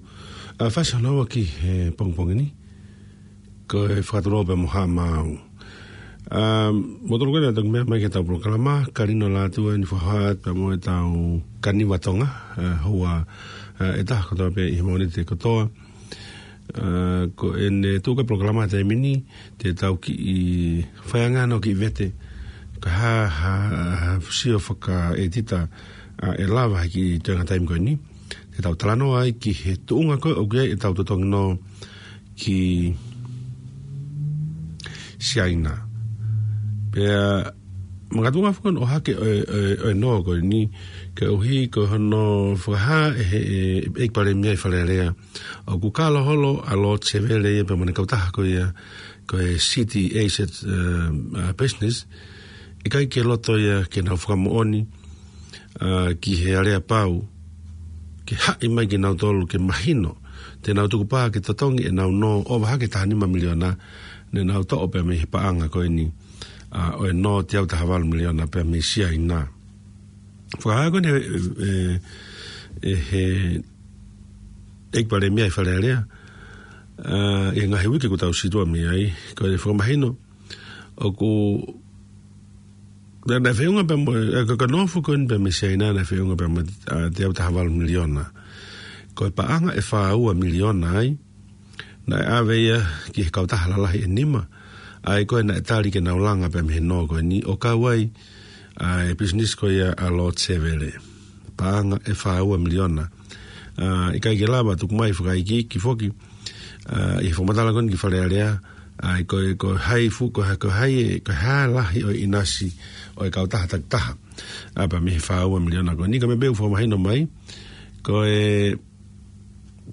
ā, fasi hono ua ki he pongipongi ni. Ko e fakatulou pea mo Haʻa Maau. Ā, mo tolu kena toki meʻa mai ki heʻetau polokalama, Kalino Lātū eni fohat pea mo ʻetau Kaniva Tonga, ā, houa, ā, ʻe taha kotoa pē ʻi he Mōnite kotoa. Ā, ko ʻene tuʻu ko e polokalama he taimi ni, te tau kiʻi faiangaʻi hano kiʻi vete, ko e hā, hā, hā, sio fakaʻētita, ā, ʻe lava he kiʻi toenga taimi ko eni. Te tau talanoa ai ki he tuʻunga ko ē ʻoku ʻi ai ʻetau totongi nō ki Siaina. Pea makatuʻunga foki hono ʻohake ʻo e, ʻo e, ʻo e nō ko eni, koeʻuhi ko hono fakahā ʻe he, ʻe, ʻEiki Palēmia ʻi Fale Alea, ʻoku kalo holo ʻa Lord Sevele ia pea mo ʻene kautaha ko ia, ko e City Asset, ā, ā, Business, ʻikai ke loto ia ke nau fakamoʻoni, ā, ki he aleapau, ke haʻi mai kinautolu ke mahino te nau tukupā ke totongi ʻenau nō ʻo ʻova hake taha nima miliona, ne nau toʻo pea mei he paʻanga ko eni, ā, ʻo e nō teau taha valu miliona pea mei Siaina. Fakahā ko eni ʻe, ʻe, ʻe he ʻEiki Palēmia ʻi Fale Alea, ā, ʻi he ngaahi uike kuo tau situʻa mei ai, ko e fakamahino, ʻoku, naʻe, naʻe feʻunga pea mo, ē, ko e, ko e nō foki ko eni pea mei Siaina naʻe feʻunga pea mo, ā, teau taha valu miliona. Ko e paʻanga ʻe fā ua miliona ai, naʻe ʻave ia ki he kautaha lalahi ʻe nima, ʻa ia ko ē naʻe tali ke nau langa pea mei he nō ko eni ʻo kau ai, ā, e business ko ia ʻa Lord Sevele. Paʻanga ʻe fā ua miliona. Ā, ʻikai ke lava tuku mai fakaikiiki foki, ā, ʻi he fakamatala ko eni ki Fale Alea, ā, ko e, ko e hā e fuʻu, ko e hā, ko e hā e, ko e hā e lahi ʻo e ʻinasi ʻo e kautaha takitaha. Ā, pea mei he fā ua miliona ko eni, ko e meʻa pē ʻoku fakamahino mai, ko e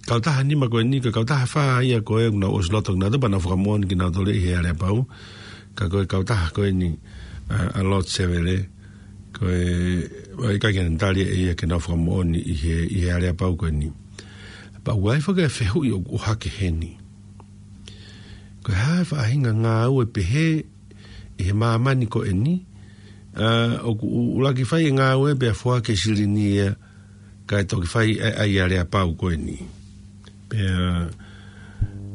kautaha nima ko eni, ko e kautaha fā ia ko ē ʻoku nau ʻosi loto kinautolu pea nau fakamoʻoni kinautolu ʻi he aleapau. Ka ko e kautaha ko eni, ā, ʻa Lord Sevele, ko e, ʻoku ʻikai ke ne tali ʻe ia ke nau fakamoʻoni ʻi he, ʻi he aleapau ko eni. Pea ʻoku ʻi ai foki e fehuʻi ʻoku ʻohake heni. Ko e hā e faʻahinga ngāue pehē ʻi he māmani ko eni, ā, ʻoku ʻu-, ʻuluaki fai e ngāue pea foaki e silini ia, kae toki fai ʻa e, ʻa e aleapau ko eni. Pea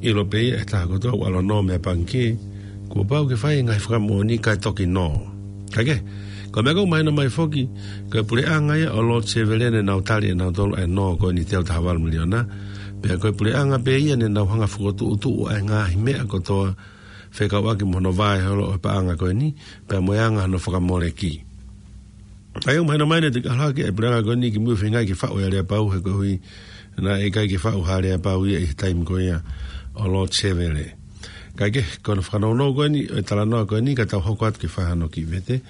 ʻilo pē ia ʻe he taha kotoa ʻoku ʻalu ʻo nō mei he pangikē, kuo pau ke fai e ngaahi fakamoʻoni kae toki nō. Kae kehe, ko e meʻa ʻoku mahino mai foki, ko e puleʻanga ia ʻo Lord Sevele ne nau tali ʻe nautolu ʻa e nō ko eni teau taha valu miliona. Pea ko e puleʻanga pē ia ne nau hanga ʻo fokotuʻutuʻu ʻa e ngaahi meʻa kotoa fekauʻaki mo hono vahe holo ʻo e paʻanga ko eni, pea mo e anga hono fakamoleki. ʻA ia ʻoku mahino mai naʻe toki ʻalu hake e puleʻanga ko eni ki mui ʻo feingaʻi ke faʻu e aleapau he koeʻuhi naʻe ʻikai ke faʻu ha aleapau ia ʻi he taimi ko ia ʻo Lord Sevele. Kae kehe, ko hono fakanounou ko eni ʻo e talanoa ko eni ka tau hoko atu ke fai hano kiʻi vete.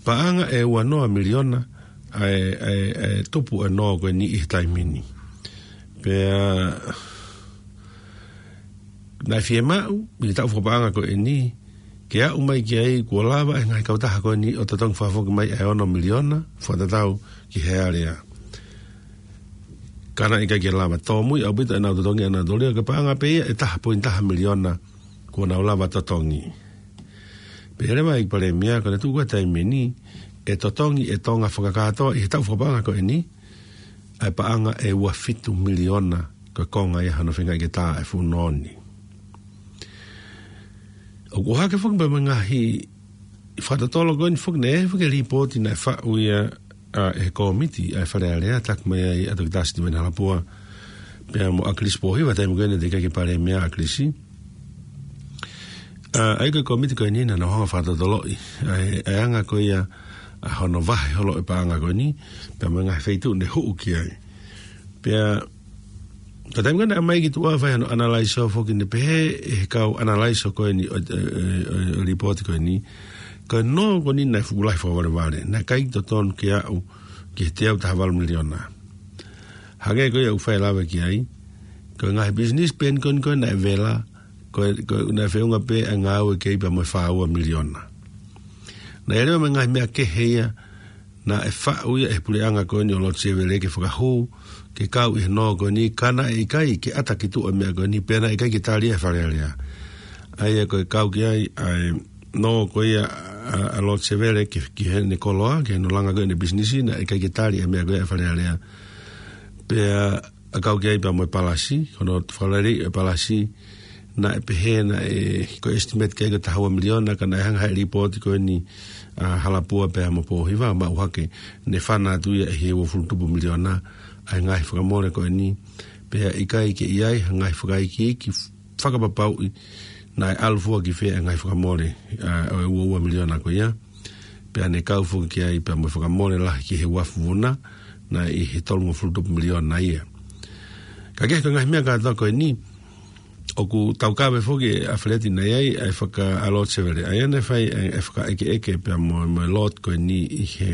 Paʻanga ʻe ua noa miliona ʻa e, ʻa e, ʻa e tupu e nō ko eni ʻi he taimi ni. Pea naʻe fiemaʻu ʻi he taʻu fakapaʻanga ko eni ke aʻu mai ki ai kuo lava e ngaahi kautaha ko eni ʻo totongi fakafoki mai ʻa e ono miliona fakatatau ki he alea. Ka naʻe ʻikai ke lava, tōmui ʻaupito ʻenau totongi ʻanautolu ia, ko e paʻanga pē ia ʻe taha poini taha miliona kuo nau lava totongi. Pehē leva ʻe he ʻEiki Palēmia ko ʻene tuʻu ko ē he taimi ni, ʻe totongi ʻe Tonga fakakātoa ʻi he taʻu fakapaʻanga ko eni ʻa e paʻanga ʻe ua fitu miliona, ko e konga ia hano feingaʻi ke tā e fuʻu nō ni. ʻOku ʻohake foki pea mo e ngaahi fakatotolo ko eni foki, naʻe foki e lipooti naʻe faʻu ia, ā, ʻe he kōmiti ʻa e Fale Alea, taki mai ai ʻa Toketā Sitiveni Halapua pea mo ʻAkilisi Pōhiva, taimi ko ē naʻe teʻeki ai ke Palēmia ʻa ʻAkilisi. Ā, ʻa ia ko e kōmiti ko eni naʻa nau hanga ʻo fakatotoloʻi ʻa e, ʻa e anga ko ia ʻa hono vahe holo e paʻanga ko eni pea mo e ngaahi feituʻu ne huʻu ki ai. Pea ko e taimi ko ē naʻe ʻomai ki tuʻa ʻo fai hano ʻanalaiso foki, naʻe pehē ʻe he kau ʻanalaiso ko eni ʻo, ʻo, ʻo, ʻo e lipooti ko eni, ko e nō ko eni naʻe fuʻu lahi fakavalevale, naʻe ʻikai totonu ke aʻu ki he teau taha valu miliona. Hangē ko ia ʻoku fai lave ki ai, ko e ngaahi business pē eni ko eni ko ē naʻe vela, ko e, ko e naʻe feʻunga pē ʻa e ngāue ki ai pea mo e fā ua miliona. Naʻe ʻi ai leva mo e ngaahi meʻa kehe ia naʻe faʻu ia ʻe he puleʻanga ko eni ʻo Lord Sevele ke fakahū ke kau ʻi he nō ko eni, ka naʻe ʻikai ke ʻata ki tuʻa e meʻa ko eni pea naʻe ʻikai ke tali ia ʻe he Fale Alea. ʻA ia ko e kau ki ai ʻa e nō ko ia ʻa, ʻa Lord Sevele ki, ki heʻene koloa, ki hono langa ko ē ʻene business, naʻe ʻikai ke tali e meʻa ko ia ʻe he Fale Alea. Pea ʻa e kau ki ai pea mo e palasi, ko hono fakalelei e palasi, naʻe pehē naʻe ko e estimate ki ai ko e taha ua miliona, ka naʻe hanga ʻe he lipooti ko eni ʻa Halapua pea mo Pōhiva, maʻu hake ne fana atu ia ʻi he uofulu tupu miliona ʻa e ngaahi fakamole ko eni, pea ʻikai ke ʻi ai ha ngaahi fakaikiiki fakapapauʻi naʻe ʻalu fua ki fē ʻa e ngaahi fakamole, ʻa, ʻo e ua ua miliona ko ia. Pea ne kau foki ki ai pea mo e fakamole lahi ki he uafu vuna, naʻe ʻi he tolungofulu tupu miliona ia. Ka ko e ngaahi meʻa kātoa ko eni, ʻoku taukave foki ʻa Feleti naʻe ʻi ai ʻa e faka-, ʻa Lord Sevele, ʻa ia naʻe fai ʻa e fakaʻekeʻeke pea mo, mo e Lord ko eni ʻi he,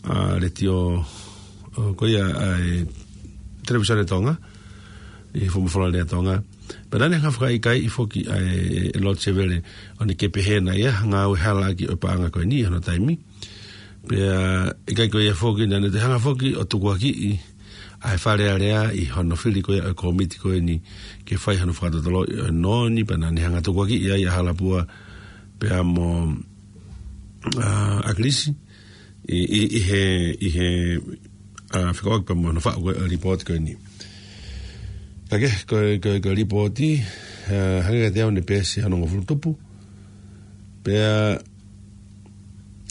ʻa, letiō, ʻo, ko ia ʻa e Televīsone Tonga, ʻi he Fuofua Lea Tonga. Pea naʻa ne hanga fakaʻikaiʻi foki ʻa e, e Lord Sevele, ʻo ne ke pehē naʻe ʻi ai ha ngāue hala ʻaki ʻo e paʻanga ko eni ʻi hono taimi. Pea ʻikai ko ia foki, naʻa ne toe hanga foki ʻo tukuakiʻi ʻa e Fale Alea ʻi hono fili ko ia ʻo e kōmiti ko eni ke fai hono fakatotoloʻi ʻo e nō ni, pea naʻa ne hanga tukuakiʻi ai ʻa Halapua pea mo, ʻa, ʻAkilisi ʻi, ʻi, ʻi he, ʻi he, ʻa, fekauʻaki pea mo hono faʻu ko ē ʻo e lipooti ko eni. Ka ko e, ko e, ko e, ko e lipooti, ʻa, hangē kiate au naʻe peesi onongofulu tupu. Pea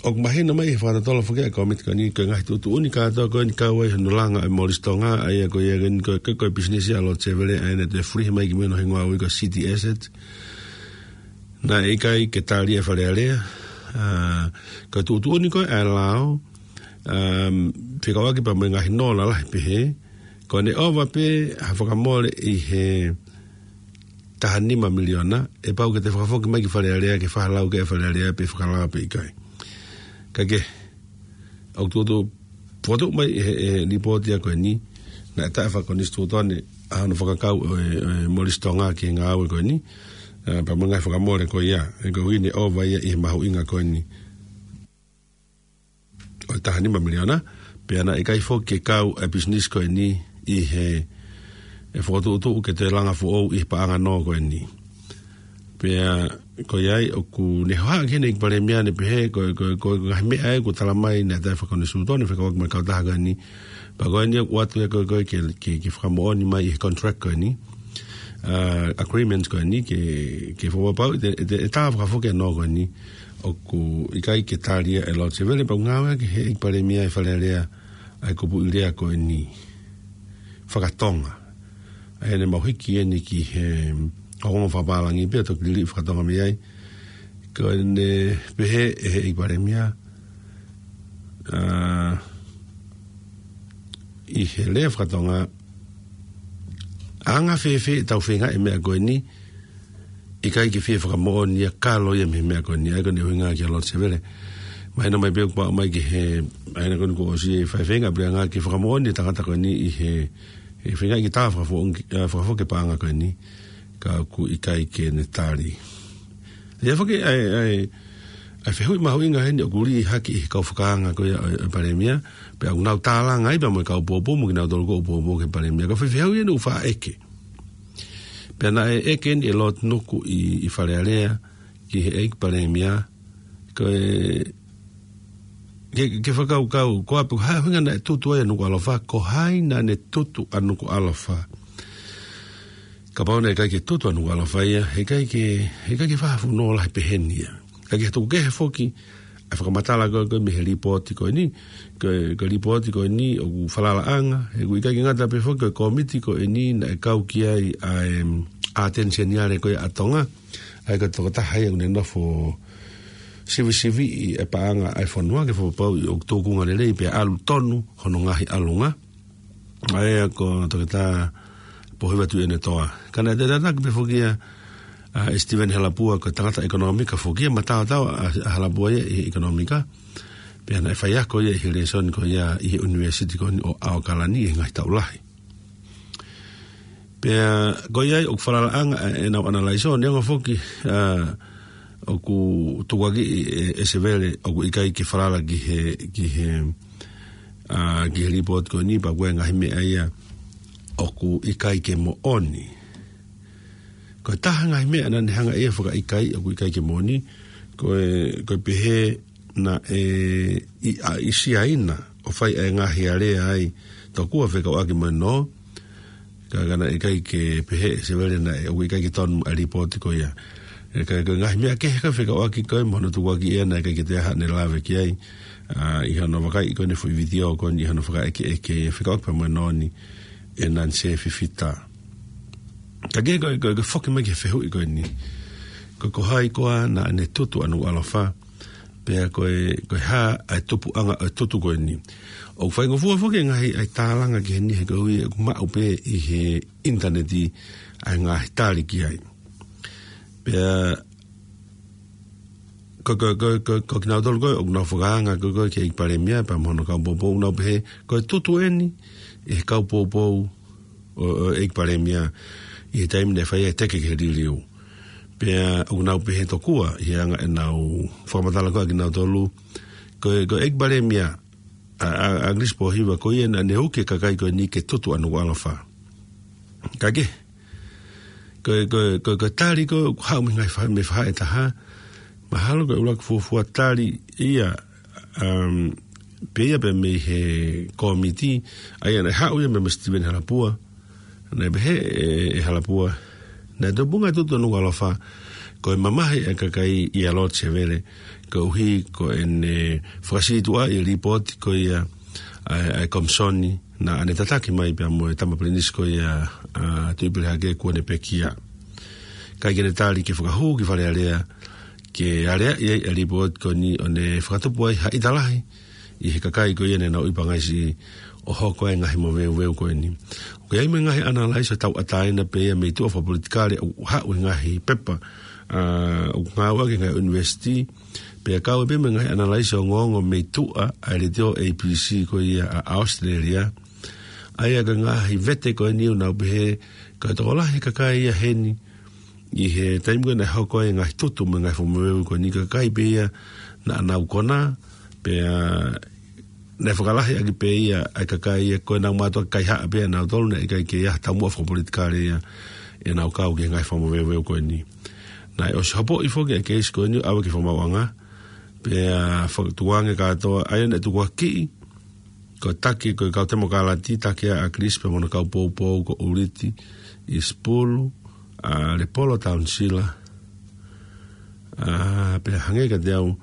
ʻoku mahino mai ʻi he fakatotolo foki ʻa e kōmiti ko eni, ko e ngaahi tuʻutuʻuni kātoa ko eni kau ai hono langa ʻa e Molisi Tonga, ʻa ia ko ia ko eni ko e, ko e, ko e pisinisi ʻa Lord Sevele, ʻa ia naʻe toe fulihi mai ki mui hono hingoa ʻoku ui ko e City Asset. Naʻe ʻikai ke tali ʻe he Fale Alea, ʻa, ko e tuʻutuʻuni ko ē ʻa e lao, ʻa, fekauʻaki pea mo e ngaahi nō lalahi pehē, ko ʻene ʻova pē ha fakamole ʻi he taha nima miliona, ʻe pau ke toe fakafoki mai ki Fale Alea, ke fakalau ki ai ʻa e Fale Alea pe fakalao pe ʻikai. Ka ko e, ʻoku tuʻutuʻu, fokotuʻu mai ʻe he, ʻe he lipooti ia ko eni, naʻe taʻefakonisitūtone ʻa hono fakakau ʻo e, ʻo e Molisi Tonga ki he ngāue ko eni, ʻa, pea mo e ngaahi fakamole ko ia, ʻa ia ko ʻene ʻova ia ʻi he mahuʻinga ko eni ʻo e taha nima miliona, pea naʻe ʻikai foki ke kau ʻa e pisinisi ko eni ʻi he, ʻe fokotuʻutuʻu ke toe langa foʻou ʻi he paʻanga nō ko eni. Pea ko ia ai ʻoku ne hohaʻa ki heni ʻEiki Palēmia ʻo ne pehē, ko, ko, ko e ngaahi meʻa ē kuo tala mai naʻe taʻefakonisitūtone fekauʻaki mo e kautaha ko eni. Pea ko eni ʻoku ʻoatu ia ko e, ko e ke, ke, ke fakamoʻoni mai ʻi he contract ko eni, ʻa, agreement ko eni, ke, ke fakapapauʻi ʻe, ʻe, ʻe tā fakafoki ʻa e nō ko eni, ʻoku ʻikai ke tali ia ʻe Lord Sevele, pea ʻoku ngāueʻaki ʻe he ʻEiki Palēmia ʻa e Fale Alea ʻa e kupuʻi lea ko eni faka-Tonga. ʻA ia naʻe mau hiki eni ki he ongo fakapālangi pea toki liliu faka-Tonga mei ai. Ko ʻene pehē ʻe he ʻEiki Palēmia, ʻa, ʻi he lea faka-Tonga, ʻa, anga fēfē ʻetau feinga ʻi he meʻa ko eni, ʻikai ke fie fakamoʻoni ia ka ʻalu ia mei he meʻa ko eni, ʻa ia ko ʻene ʻuhinga kia Lord Sevele. Mahino mai pē ʻoku pau mai ki he, ʻa ia ko eni kuo ʻosi e faifeinga, pea ʻikai ke fakamoʻoni e tangata ko eni ʻi he, he feinga ke tā fakafoki, ʻa, fakafoki e paʻanga ko eni, ka ʻoku ʻikai ke ne tali. ʻA ia foki ʻa e, ʻa e, ʻa e fehuʻi mahuʻinga heni ʻoku lī hake ʻi he kau fakaanga ko ia ʻo e, ʻo e Palēmia, pea ʻoku nau tālanga ai pea mo e kau pōpō mo kinautolu ʻoku pōpō ki he Palēmia. Ko e foʻi fehuʻi eni ʻoku faʻa ʻeke. Pea naʻe ʻeke eni ʻe Lord Nuku ʻi, ʻi Fale Alea ki he ʻEiki Palēmia, ko e, ke, ke fakakaukau, ko e hā e ʻuhinga naʻe tutu ai ʻa Nukuʻalofa, ko hai naʻa ne tutu ʻa Nukuʻalofa. Kapau naʻe ʻikai ke tutu ʻa Nukuʻalofa ia, heʻikai ke, heʻikai ke fakafuno lahi peheni ia. Ka ko e tuku kehe foki ʻa e fakamatala ko ē, ko ē mei he lipooti ko eni, ko e, ko e lipooti ko eni ʻoku falalaʻanga, he ʻoku ʻikai ke ngata pē foki ko e kōmiti ko eni naʻe kau ki ai ʻa e, ʻa e ʻAteni Seniale ko ia ʻa Tonga, ʻa ia ko e tokotaha ia ʻoku ne nofo sivisiviʻi e paʻanga ʻa e fonua ke fakapapauʻi ʻoku tūkunga lelei pea ʻalu tonu hono ngaahi ʻalunga. ʻA ia ko Toketā Pōhiva Tuʻiʻonetoa. Ka naʻe tataki pē foki ia, ʻa, ʻe Steven Halapua ko e tangata ʻekonōmika foki ia, mataotao ʻa, ʻa Halapua ia ʻi he ʻekonōmika. Pea naʻe faiako ia ʻi he lēsoni ko ia ʻi he ʻunivēsiti ko eni ʻo ʻAokalani ʻi he ngaahi taʻu lahi. Pea ko ia ai ʻoku falalaʻanga ʻenau ʻanalaiso, neongo foki, ʻa, ʻoku tukuakiʻi ʻe, ʻe Sevele ʻoku ʻikai ke falala ki he, ki he, ʻa, ki he lipooti ko eni, pea ko e ngaahi meʻa ia ʻoku ʻikai ke moʻoni. Ko e taha ngaahi meʻa naʻa ne hanga ia fakaʻikaiʻi ʻoku ʻikai ke moʻoni, ko e, ko e pehē naʻe ʻi, ʻa, ʻi Siaina ʻo fai ʻa e ngaahi alea ai tokua fekauʻaki mo e nō, ka, ka naʻe ʻikai ke pehē ʻe Sevele naʻe ʻoku ʻikai ke tonu ʻa e lipooti ko ia. ʻE ka, ka ngaahi meʻa kehe ka fekauʻaki ko ē mo hono tukuakiʻi ia naʻe ʻikai ke toe ʻi ai haʻane lave ki ai, ʻa, ʻi hono vakaiʻi ko eni e foʻi vitiō ko eni ʻi hono fakaʻekeʻeke fekauʻaki pea mo e nō ni ʻe Nansē Fifita. Ka ke ko, ko, ko e foki mai ki he fehuʻi ko eni. Ko, ko hai koā naʻa ne tutu ʻa Nukuʻalofa, pea ko e, ko e hā ʻa e tupuʻanga ʻo e tutu ko eni. ʻOku faingofua foki e ngaahi ʻai tālanga ki heni he koeʻuhi ʻoku maʻu pē ʻi he ʻinitaneti ʻa e ngaahi tali ki ai. Pea ko, ko, ko, ko, ko kinautolu ko ē ʻoku nau fakaanga ko, ko ki he ʻEiki Palēmia pea mo hono kau poupou ʻoku nau pehē ko e tutu eni ʻe he kau poupou ʻo, ʻo e ʻEiki Palēmia ʻi he taimi naʻe fai ai e teke ki he liliu. Pea ʻoku nau pehē tokua ʻi he anga ʻenau fakamatala ko ē ʻa kinautolu, ko e, ko e ʻEiki Palēmia ʻa, ʻa, ʻa ʻAkilisi Pōhiva ko ia naʻa ne uki e kakai ko eni ke tutu ʻa Nukuʻalofa. Ka ke, ko, ko, ko, ko e tali ko ē ʻoku haʻu mei he ngaahi fa-, mei he faʻahi ʻe taha, mahalo ko e ʻuluaki fuofua tali ia, um, pē ia pē mei he kōmiti, ʻa ia naʻe haʻu ia meia Sitiveni Halapua, naʻe pehē ʻe, ʻe Halapua, naʻe tupunga e tutu ʻa Nukuʻalofa, ko e mamahi ʻa e kakai ʻia Lord Sevele, koeʻuhi ko ʻene fakasītuʻaʻi e lipooti ko ia ʻa e, ʻa e komisoni naʻa ne tataki mai pea mo e tama pilinisi ko ia ʻa Tuʻipelehake kuo ne pekia. ʻIkai ke ne tali ke fakahū ki Fale Alea, ke aleaʻi ai e lipooti ko eni ʻo ne fakatupu ai ha ʻita lahi ʻi he kakai ko ia naʻa nau ʻi Pangaisiʻi ʻo hoko ai e ngaahi moveuveu ko eni. ʻOku ʻi ai mo e ngaahi ʻanalaiso tauʻatāina pē ia mei tuʻa fakapolitikale ʻoku haʻu he ngaahi pepa, ʻa, ʻoku ngāueʻaki he ngaahi ʻunivēsiti, pea kau ai pē mo e ngaahi ʻanalaiso ongoongo mei tuʻa ʻa e letiō A B C ko ia ʻa, ʻa ʻAositelēlia. ʻA ia ko e ngaahi vete ko eni ʻoku nau pehē, ko e tokolahi e kakai ia heni, ʻi he taimi ko ē naʻe hoko ai e ngaahi tutu mo e ngaahi fakamoveuveu ko eni, ko e kakai pē ia naʻa nau konā, pea naʻe fakalahi ʻaki pē ia ʻa e kakai ia ko ē naʻa nau mātuʻaki kaihaʻa pē ʻa nautolu, naʻe ʻikai ke ʻi ai ha taumuʻa fakapolitikale ia ʻenau kau ki he ngaahi fakamoveuveu ko eni. Naʻe ʻosi hopoʻi foki ʻa e keisi ko eni ʻo ʻave ki he fakamaauʻanga, pea faka-, tukuange kātoa, ʻa ia naʻe tukuakiʻi ko e taki, ko e kau Temokalati, taki ʻa ʻAkilisi pea mo hono kau poupou ko ʻUliti ʻIsipulu, ʻa Lepolo Taunisila, ʻa, pea hangē kiate au,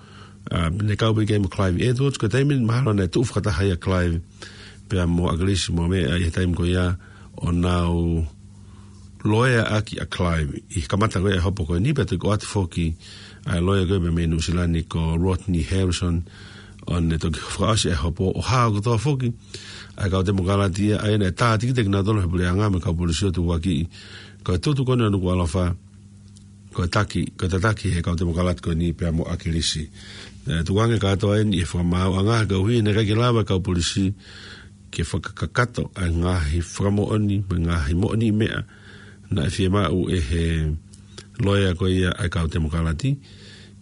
ʻa, ne kau pē ki ai mo Clive Edwards, ko e taimi mahalo naʻe tuʻu fakataha ia Clive pea mo ʻAkilisi mo meʻa ʻi he taimi ko ia ʻo nau loea ʻaki ʻa Clive ʻi he kamata ko ia e hopo ko eni, pea toki ʻoatu foki ʻa e loea ko ia mei Nuʻusila ni ko Rodney Harrison, ʻo ne toki fakaʻosi e hopo ʻo hao kotoa foki ʻa e kau Temokalati ia, ʻa ia naʻe tātikite kinautolu he puleʻanga mo e kau polisi ʻo tukuakiʻi ko e tutu ko eni ʻa Nukuʻalofa, ko e taki, ko e tataki he kau Temokalati ko eni pea mo ʻAkilisi. ʻE, tukuange kātoa eni ʻi he fakamaauʻanga koeʻuhi naʻe ʻikai ke lava e kau polisi ke fakakakato ʻa e ngaahi fakamoʻoni mo e ngaahi moʻoniʻi meʻa naʻe fiemaʻu ʻe he loea ko ia ʻa e kau Temokalati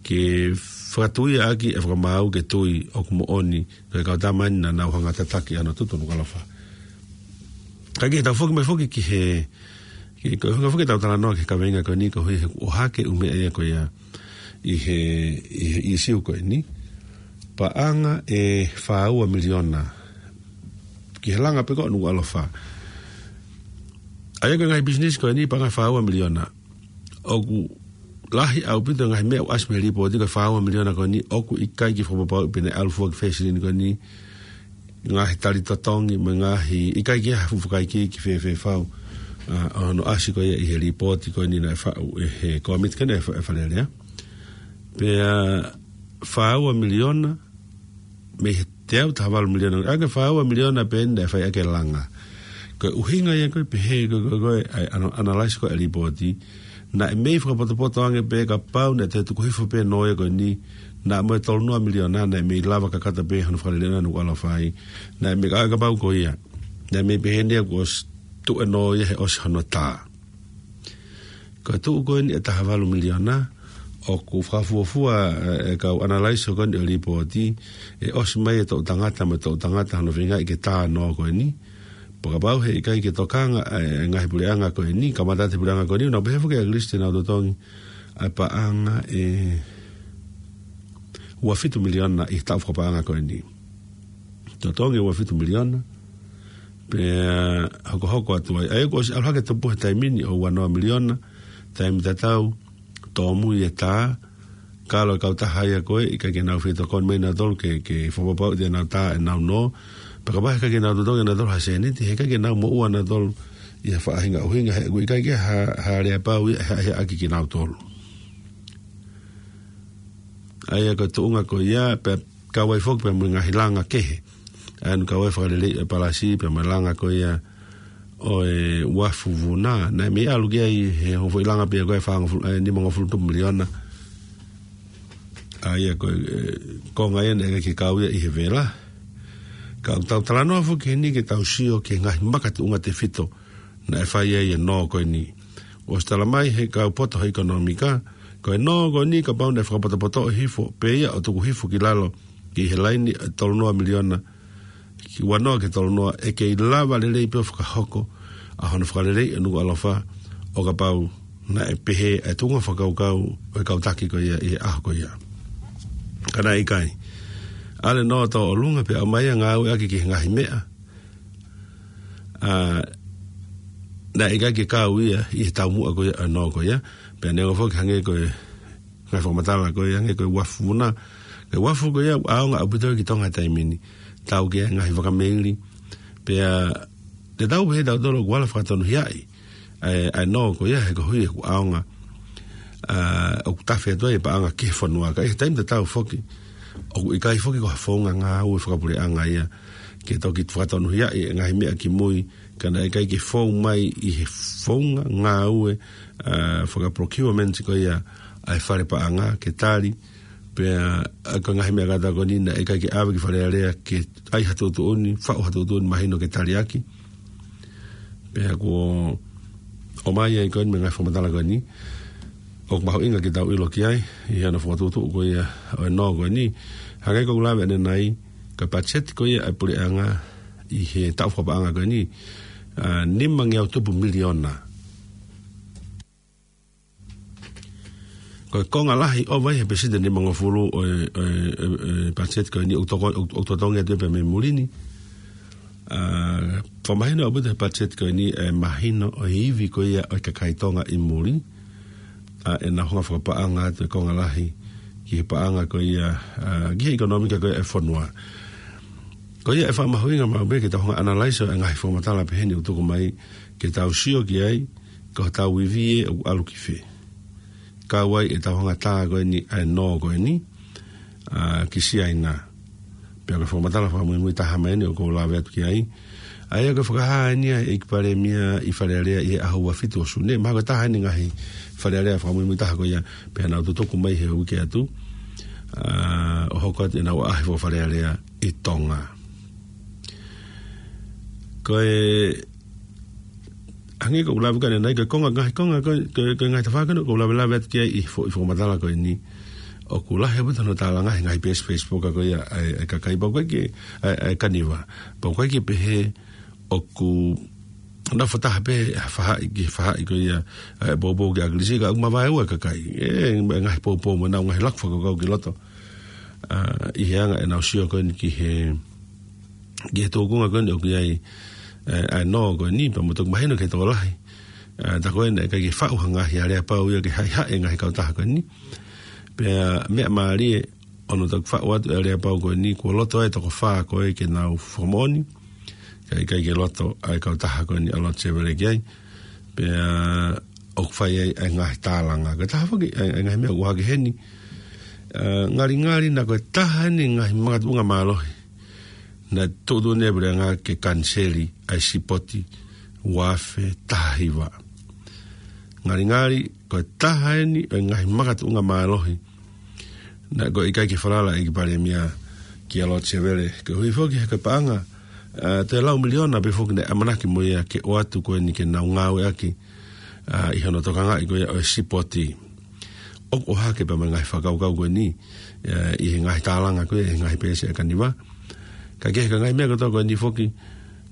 ke fakatuia ʻaki e fakamaau ke tui ʻoku moʻoni ko e kau tama eni naʻa nau hanga ʻo tataki ʻa hono tutu ʻa Nukuʻalofa. Ka ke tau foki mai foki ki he, ki he, ko e hanga foki ʻetau talanoa ki he kaveinga ko eni koeʻuhi he ʻoku ʻohake e ʻū meʻa ia ko ia ʻi he, ʻi he ʻīsiu ko eni. Paʻanga ʻe fā ua miliona ki he langa pē ko ē ʻo Nukuʻalofa. ʻA ia ko e ngaahi pisinisi ko eni paʻanga ʻe fā ua miliona. ʻOku lahi ʻaupito e ngaahi meʻa ʻoku ʻasi mei he lipooti ko e fā ua miliona ko eni ʻoku ʻikai ke fakapapauʻi pe naʻe ʻalu fua ki fē silini ko eni, ngaahi tali totongi mo e ngaahi ʻikai ke ʻi ai ha fuʻu fakaikiiki fēfē fau, ʻa, ʻo hono ʻasi ko ia ʻi he lipooti ko eni naʻe faʻu ʻe he kōmiti ko eni ʻa e Fa-, ʻa e Fale Alea. Pea fā ua miliona mei he teau taha valu miliona, ʻa ia ko e fā ua miliona pē eni naʻe fai ʻaki e langa. Ko e ʻuhinga ia ko ē pehē ko ē, ko ē, ko ē, ʻa e ana-, analyze ko ē ʻa e lipooti, naʻe mei fakapotopoto ange pē kapau naʻe toe tuku hifo pē e nō ia ko eni, naʻa mo e tolu noa miliona naʻe mei lava kakato pē hono fakalelei ʻa Nukuʻalofa ai. Naʻe mei ka, kapau ko ia, naʻe mei pehē ni ʻoku ʻosi tuʻu e nō ia he ʻosi hono tā. Ko e tuʻu ko eni e taha valu miliona, ʻoku fakafuofua, ʻe, e kau analyze ko eni ʻo e lipooti, ʻe ʻosi mai e toʻu tangata mo e toʻu tangata hono feingaʻi ke tā e nō ko eni. Pea kapau he ʻikai ke tokanga e, e ngaahi puleʻanga ko eni, kamata atu e puleʻanga ko eni, ʻoku nau pehē foki ʻa ʻAkilisi te nau totongi ʻa e paʻanga ʻe ua fitu miliona ʻi he taʻu fakapaʻanga ko eni. Totongi ua fitu miliona, Pea hokohoko atu ai. ʻA ia kuo ʻosi ʻalu hake tupu he taimi ni ʻo ua noa miliona, taimi tatau, tōmui e tā, ka ʻalu e kautaha ia ko ē, ʻikai ke nau fetokoni mai nautolu ke, ke fakapapauʻi te nau tā ʻenau nō. Pea kapau he ʻikai ke nau totongi nautolu ha sēniti, he ʻikai ke nau moʻua nautolu ʻi ha faʻahinga ʻuhinga, he ʻoku ʻikai ke ha, ha aleapau ia, he, he ʻaki kinautolu. ʻA ia ko e tuʻunga ko ia, pea kau ai foki pea mo e ngaahi langa kehe. ʻA ia ʻoku kau ai e fakaleleiʻi e palasi, pea mo e langa ko ia ʻo e uafu vuna. Naʻe mei ʻalu ki ai he ongo foʻi langa pē ia ko e fāngofulu, ʻe, nimangofulu tupu miliona. ʻA ia ko e, ʻe, konga ia naʻe ʻikai ke kau ia ʻi he vela. Ka ʻoku tau talanoa foki heni ke tau sio ki he ngaahi makatuʻunga tefito naʻe fai ai e nō ko eni. ʻOsi tala mai he kau poto he ʻekonōmika, ko e nō ko eni kapau naʻe fakapotopotoʻi hifo, pea ia ʻo tuku hifo ki lalo, ki he laini ʻe tolu noa miliona, ki ua noa ki he tolu noa, ʻe kei lava lelei pē ʻo fakahoko ʻa hono fakaleleiʻi ʻa Nukuʻalofa, ʻo kapau naʻe pehē ʻa e tuʻunga fakakaukau ʻo e kau taki ko ia ʻi he ʻaho ko ia. Ka naʻe ʻikai. ʻAlu e nō tō ʻolunga pea ʻomai ʻa e ngāueʻaki ki he ngaahi meʻa, ʻa, naʻe ʻikai ke kau ia ʻi he taumuʻa ko ia ʻa e nō ko ia, pea neongo foki hangē ko e ngaahi fakamatala ko ia, hangē ko e uafu vuna. Ko e uafu ko ia, ʻaonga ʻaupito ki Tonga he taimi ni. Tau ki he ngaahi vaka meili. Pea te tau pehē tautolu ʻoku ala fakatonuhiaʻi ʻa e, ʻa e nō ko ia he koeʻuhi ʻoku ʻaonga, ʻa, ʻoku tafe atu ai e paʻanga ki he fonua. Ka ʻi he taimi tatau foki, ʻoku ʻikai foki ko ha founga ngāue fakapuleʻanga ia ke toki fakatonuhiaʻi e ngaahi meʻa kimui, ka naʻe ʻikai ke fou mai ʻi he founga ngāue, ʻa, fakaprocurement ko ia ʻa e fale paʻanga ke tali, pea, ʻa, ko e ngaahi meʻa kātoa ko eni naʻe ʻikai ke ʻave ki Fale Alea ke ʻai ha tuʻutuʻuni, faʻu ha tuʻutuʻuni mahino ke tali ʻaki. Pea kuo ʻomai ai ko eni mo e ngaahi fakamatala ko eni, ʻoku mahuʻinga ke tau ʻilo ki ai, ʻi hono fakatuʻutuʻu ko ia ʻo e nō ko eni, hangē ko ʻeku lave ʻanenai, ko e patiseti ko ia ʻa e puleʻanga ʻi he taʻu fakapaʻanga ko eni, ʻa, nimangeau tupu miliona. Ko e konga lahi ʻova ia he peseti nimangofulu ʻo e, ʻo e, ʻo e, ʻo e patiseti ko eni ʻoku toko-, ʻoku, ʻoku totongi atu pē mei muli ni. ʻA, fakamahino ʻaupito he patiseti ko eni e mahino ʻo e ivi ko ia ʻo e kakai Tonga ʻi muli. ʻA, ʻenau hanga fakapaʻanga atu e konga lahi ki he paʻanga ko ia, ʻa, ki he ʻekonōmika ko ia e fonua. Ko ia ʻe fakamahuʻinga maʻu pē ke tau hanga analyze ʻa e ngaahi fakamatala pehē ni ʻoku tuku mai ke tau sio ki ai, ko hotau ivi ē ʻoku ʻalu ki fē. Kau ai e tau hanga tā ko eni ʻa e nō ko eni, ʻa, ki Siaina. Pea ko e fakamatala fakamuimui taha mai eni ʻoku ou lave atu ki ai. ʻA ia ko e fakahā eni ʻa e ʻEiki Palēmia ʻi Fale Alea ʻi he ʻaho ua fitu ʻo Sune. Mahalo ko e taha eni ngaahi Fale Alea fakamuimui taha ko ia, pea nau tutuku mai he uike atu, ʻa, ʻo hoko atu ʻenau ʻaʻahi faka-Fale Alea ʻi Tonga. Ko e, hangē ko ʻeku lave ko ē ʻanenai, ko e konga, ngaahi konga, ko e, ko e, ko e ngaahi tafaʻaki ko ē ʻoku ou lavelave atu ki ai ʻi he fo-, ʻi he fakamatala ko eni. ʻOku lahi ʻaupito hono tālanga he ngaahi peesi Facebook ko ia ʻa e, ʻa e kakai, pau ʻikai ke, ʻa e, ʻa e kaniva. Pau ʻikai ke pehē ʻoku nau fakataha pē ha faʻahi ki he faʻahi ko ia, ʻa e poupou ki ʻAkilisi, ka ʻoku mavaeua e kakai. ʻE, e ngaahi poupou mo ʻenau ngaahi laku fakakaukau ki loto. ʻA, ʻi he anga ʻenau sio ko eni ki he, ki he tūkunga ko eni ʻoku ʻi ai, ʻe, ʻa e nō ko eni, pea mo e toki mahino ki he tokolahi. ʻA, tā ko ē naʻe ʻikai ke faʻu ha ngaahi aleapau ia ke haʻihaʻi e ngaahi kautaha ko eni. Pea meʻa mālie ʻo hono toki faʻu atu e aleapau ko eni, kuo loto ai e toko fā ko ē ke nau fakamoʻoni. Ka ʻikai ke loto ʻa e kautaha ko eni ʻa Lord Sevele ki ai. Pea ʻoku fai ai ʻa e ngaahi tālanga. Ko e taha foki ʻa e, ʻa e ngaahi meʻa ʻoku ʻohake heni. ʻA, ngalingali naʻa ko e taha eni e ngaahi makatuʻunga mālohi naʻe tuʻutuʻuni ʻe he puleʻanga ke kaniseli ʻa e sipoti ua afe taha hiva. Ngalingali, ko e taha eni ʻo e ngaahi makatuʻunga mālohi naʻe ʻikai ke falala ʻa e ʻEiki Palēmia kia Lord Sevele. Koeʻuhi foki he ko e paʻanga, ʻa, toe lau miliona pē foki naʻe ʻamanaki mo ia ke ʻoatu ko eni ke nau ngāueʻaki, ʻa, ʻi hono tokangaʻi ko ia ʻo e sipoti. ʻOku ʻohake pea mo e ngaahi fakakaukau ko eni, ʻa, ʻi he ngaahi tālanga ko ia, ʻi he ngaahi peesi ʻa e kaniva. Ka ko e ngaahi meʻa kotoa ko eni foki,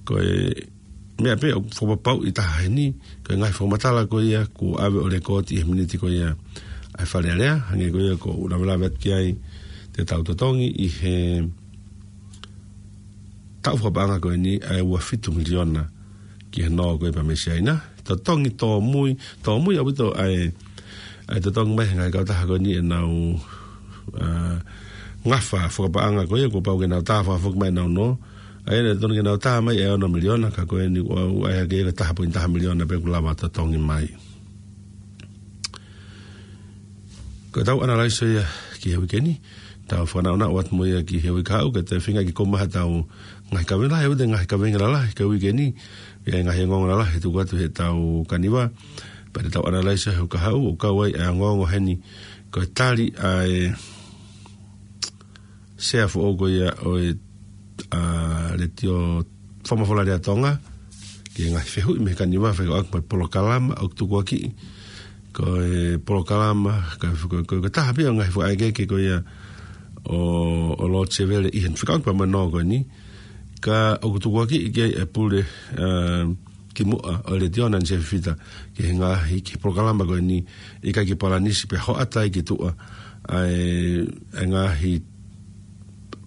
ko e meʻa pē ʻoku fakapapauʻi taha heni, ko e ngaahi fakamatala ko ia kuo ʻave ʻo lekooti ʻi he miniti ko ia ʻa e Fale Alea, hangē ko ia ko ʻeku lavelave atu ki ai, te tau totongi ʻi he taʻu fakapaʻanga ko eni ʻa e ua fitu miliona ki he nō ko ē pea mei Siaina. Totongi tōmui, tōmui ʻaupito ʻa e, ʻa e totongi mai he ngaahi kautaha ko eni ʻenau, ā, ngafa fakapaʻanga ko ia kuo pau ke nau tā fakafoki mai ʻenau nō. ʻA ia naʻe totonu ke nau tā mai ʻe ono miliona ka ko eni kuo ʻai hake ia ko e taha poini taha miliona pē kuo lava totongi mai. Ko ʻetau ʻanalaiso ia ki he uike ni, tau fakanaʻonaʻo atu mo ia ki he uike kahaʻu, ka te feinga ke kau mai haʻatau ngaahi kaveinga lalahi, ʻoku ʻi ai e ngaahi kaveinga lalahi ki he uike ni, ʻi ai e ngaahi ongoongo lalahi ʻe tuku atu heʻetau kaniva, pea te tau ʻanalaiso he uike kahaʻu, ʻoku kau ai e ongoongo heni, ko e tali ʻa e sea foʻou ko ia ʻo e, ā, Letiō Fakamafola Lea Tonga, ki he ngaahi fehuʻi mei he kaniva fekauʻaki mo e polokalama ʻoku tukuakiʻi. Ko e polokalama, ka, ko, ko, ko e taha pē ia ʻo e ngaahi fakaʻekeʻeke ko ia ʻo, ʻo Lord Sevele ʻi he fekauʻaki pea mo e nō ko eni. Ka ʻoku tukuakiʻi ki ai e pule, ā, kimuʻa ʻo e Letiō Nancy Fifita, ki he ngaahi, ki he polokalama ko eni, ʻikai ke palanisi pea hoʻata ai ki tuʻa, ʻa e, ʻa e ngaahi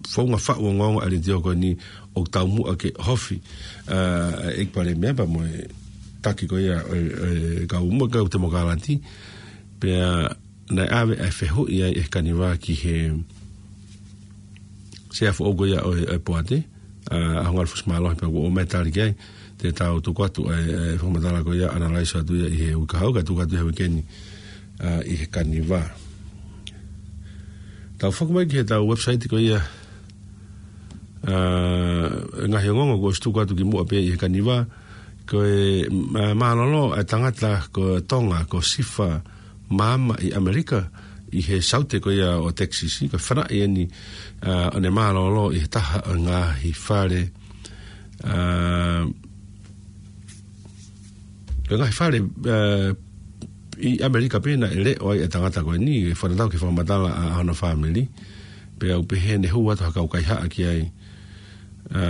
founga faʻu ongoongo ʻa e Letiō ko eni ʻoku taumuʻa ke ʻohofi, ā, ʻe he ʻEiki Palēmia pea mo e taki ko ia ʻo e, ʻo e kau mo e kau Temokalati, pea naʻe ʻave ʻa e fehuʻi ai ʻe he kaniva ki he sea foʻou ko ia ʻo e, ʻo e poate, ā, ʻa Hongalu Fusimālohi pea kuo ʻomai e tali ki ai, te tau tuku atu ʻa e, ʻa e fakamatala ko ia ʻanalaiso atu ia ʻi he uike kahaʻu, ka tuku atu he uike ni, ā, ʻi he kaniva. Tau foki mai ki heʻetau website ko ia, ā, ngaahi ongoongo kuo ʻosi tuku atu kimuʻa pē ʻi he kaniva, ko e, ā, mālōlō ʻa e tangata ko Tonga, ko Sifa Maama ʻi ʻAmelika, ʻi he saute ko ia ʻo Texas, ko e fanaʻi eni, ā, ʻo ne mālōlō ʻi he taha ʻo e ngaahi fale, ā, ko e ngaahi fale, ā, ʻi ʻAmelika pē naʻe leʻo ai e tangata ko eni, ke fakatatau ki he fakamatala ʻa, ʻa hono fāmili, pea ʻoku pehē ne hū atu ha kau kaihaʻa ki ai, ā,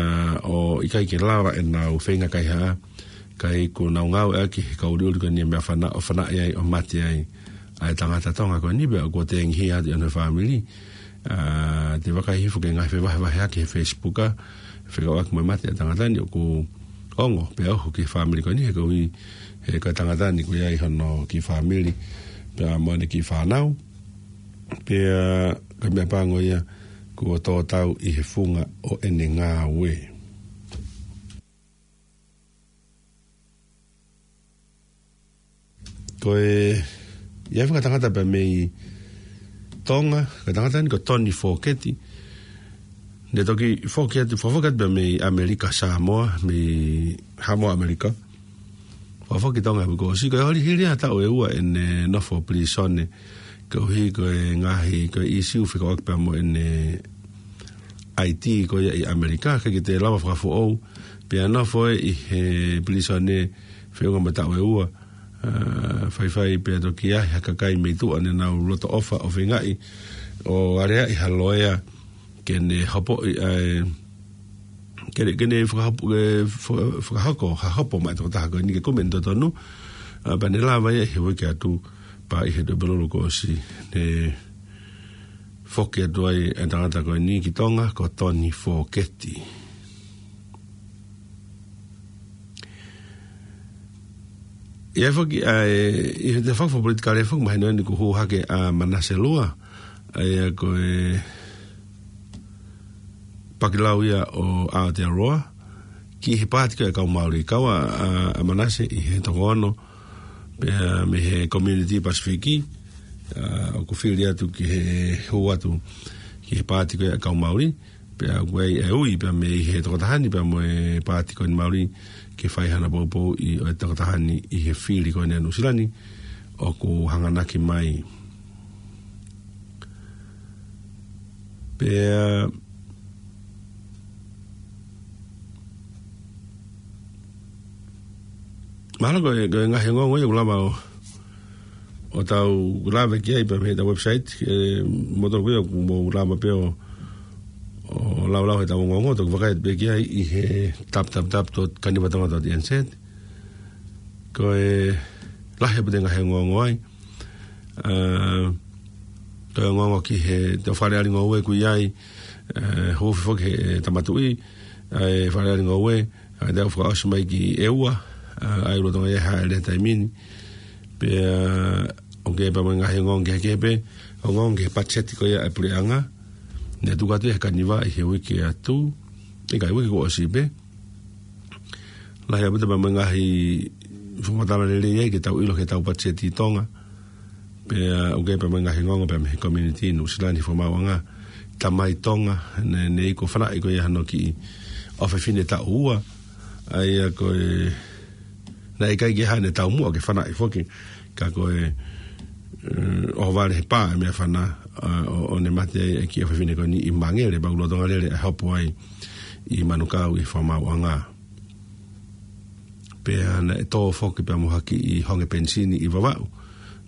ʻo ʻikai ke lava ʻenau feinga kaihaʻa, kae ʻikai ke nau ngāueʻaki he kau ʻuliʻuli ko eni e meʻafana-, ʻo fanaʻi ai, ʻo mate ai ʻa e tangata Tonga ko eni, pea kuo tengihia atu ʻe hono fāmili. Ā, te u vakai hifo ki he ngaahi fevahevaheʻaki he Facebook, ā, fekauʻaki mo e mate ʻa e tangata ni ʻoku ongo, pea ohu ki he fāmili ko eni, he koeʻuhi, he ko e tangata ni kuo ʻi ai hono kiʻi fāmili, pea mo ʻene kiʻi fānau. Pea ko e meʻa pango ia kuo tō tau ʻi he funga ʻo ʻene ngāue. Ko e, ʻi ai e fanga tangata pea mei Tonga, ko e tangata ni ko Tony Foketi. Ne toki foki atu, fakafoki atu pea mei ʻAmelika Samoa, mei Haʻamoa ʻAmelika. Fakafoki Tonga he uike kuo ʻosi, ko e hili, hili ha taʻu ʻe ua ʻene nofo pilīsone, koeʻuhi ko e ngaahi, ko e ʻīsiu fekauʻaki pea mo ʻene I D ko ia ʻi ʻAmelika, ʻikai ke toe lava fakafoʻou, pea nofo ʻi he pilīsone feʻunga mo e taʻu ʻe ua, ā, faifai pea toki ʻi ai ha kakai mei tuʻa ne nau loto ʻofa ʻo feingaʻi ʻo aleaʻi ha loea ke ne hopoʻi ʻa e, ke ne, ke ne fakahopo, ke faka-, fakahoko ha hopo maʻa e tokotaha ko eni ke kumi ʻene totonu, ā, pea ne lava ia he uike atu pea ʻi he Tuʻapulelulu kuo ʻosi ne foki atu ai e tangata ko eni ki Tonga, ko Tony Foketi. ʻI ai foki, ā, ʻi he tafaʻaki fakapolitikale foki mahino eni kuo hū hake ʻa Manase Lua, ʻa ia ko e pakilau ia ʻo Aotearoa, ki he paati ko ē ʻa e kau Maori, kau ʻa, ʻa, ʻa Manase ʻi he toko ono, pea mei he Community Pasifiki, ā, ʻoku fili atu ki he hū atu ki he paati ko ē ʻa e kau Maori, pea ʻoku ʻi ai e ui pea mei he tokotaha ni pea mo e paati ko eni Maori ke fai hano poupouʻi ʻo e tokotaha ni ʻi he fili ko eni ʻa Nuʻusila ni ʻoku hanganaki mai. Pea mahalo ko e, ko e ngaahi ongoongo ia ʻoku lava ʻo, ʻo tau lave ki ai pea mei heʻetau website, ē, mo tau ko ia ʻoku mou lava pē ʻo, ʻo laulau heʻetau ongoongo, toki vakai pē ki ai ʻi he w w w dot kanivatonga dot n z. Ko e lahi ʻaupito e ngaahi ongoongo ai. Ā, ko e ongoongo ki he, te fale ali ngoue ʻoku ʻi ai, ē, hū foki he, ē, Tama Tuʻi, ʻa e Fale Alea Ngoue, ʻa ia ʻoku fakaʻosi mai ki ʻEua, ʻa, ʻa ia ʻoku lolotonga ʻi ai e hāʻele he taimi ni. Pea, ʻoku ʻi ai pē mo e ngaahi ongoongo kehekehe pē, ongoongo ki he patiseti ko ia ʻa e puleʻanga. Naʻe tuku atu ia he Kaniva ʻi he uike atu, ʻikai, uike kuo ʻosi pē. Lahi ʻaupito pea mo e ngaahi fakamatala lelei ai ke tau ʻilo ki heʻetau patiseti ʻi Tonga. Pea ʻoku ʻi ai pē mo e ngaahi ongoongo pea mei he community Nuʻusila ni he fakamaauʻanga. Tamai Tonga, ne, ne ʻi ai ko e fanaʻi ko ia hano kiʻi ʻofefine taʻu ua. ʻA ia ko e, naʻe ʻikai ke ʻi ai haʻane taumuʻa ke fanaʻi foki. Ka ko e, eh, ʻohovale he pā e meʻafana, ʻa, ʻo, ʻo ne mate ai e kiʻi ʻofefine ko eni ʻi Mangere, pea ʻoku lolotonga lele ʻa e hopo ai ʻi Manukau ʻi he fakamaauʻanga. Pea naʻe tō foki pea mo ha kiʻi honge penisini ʻi Vavaʻu.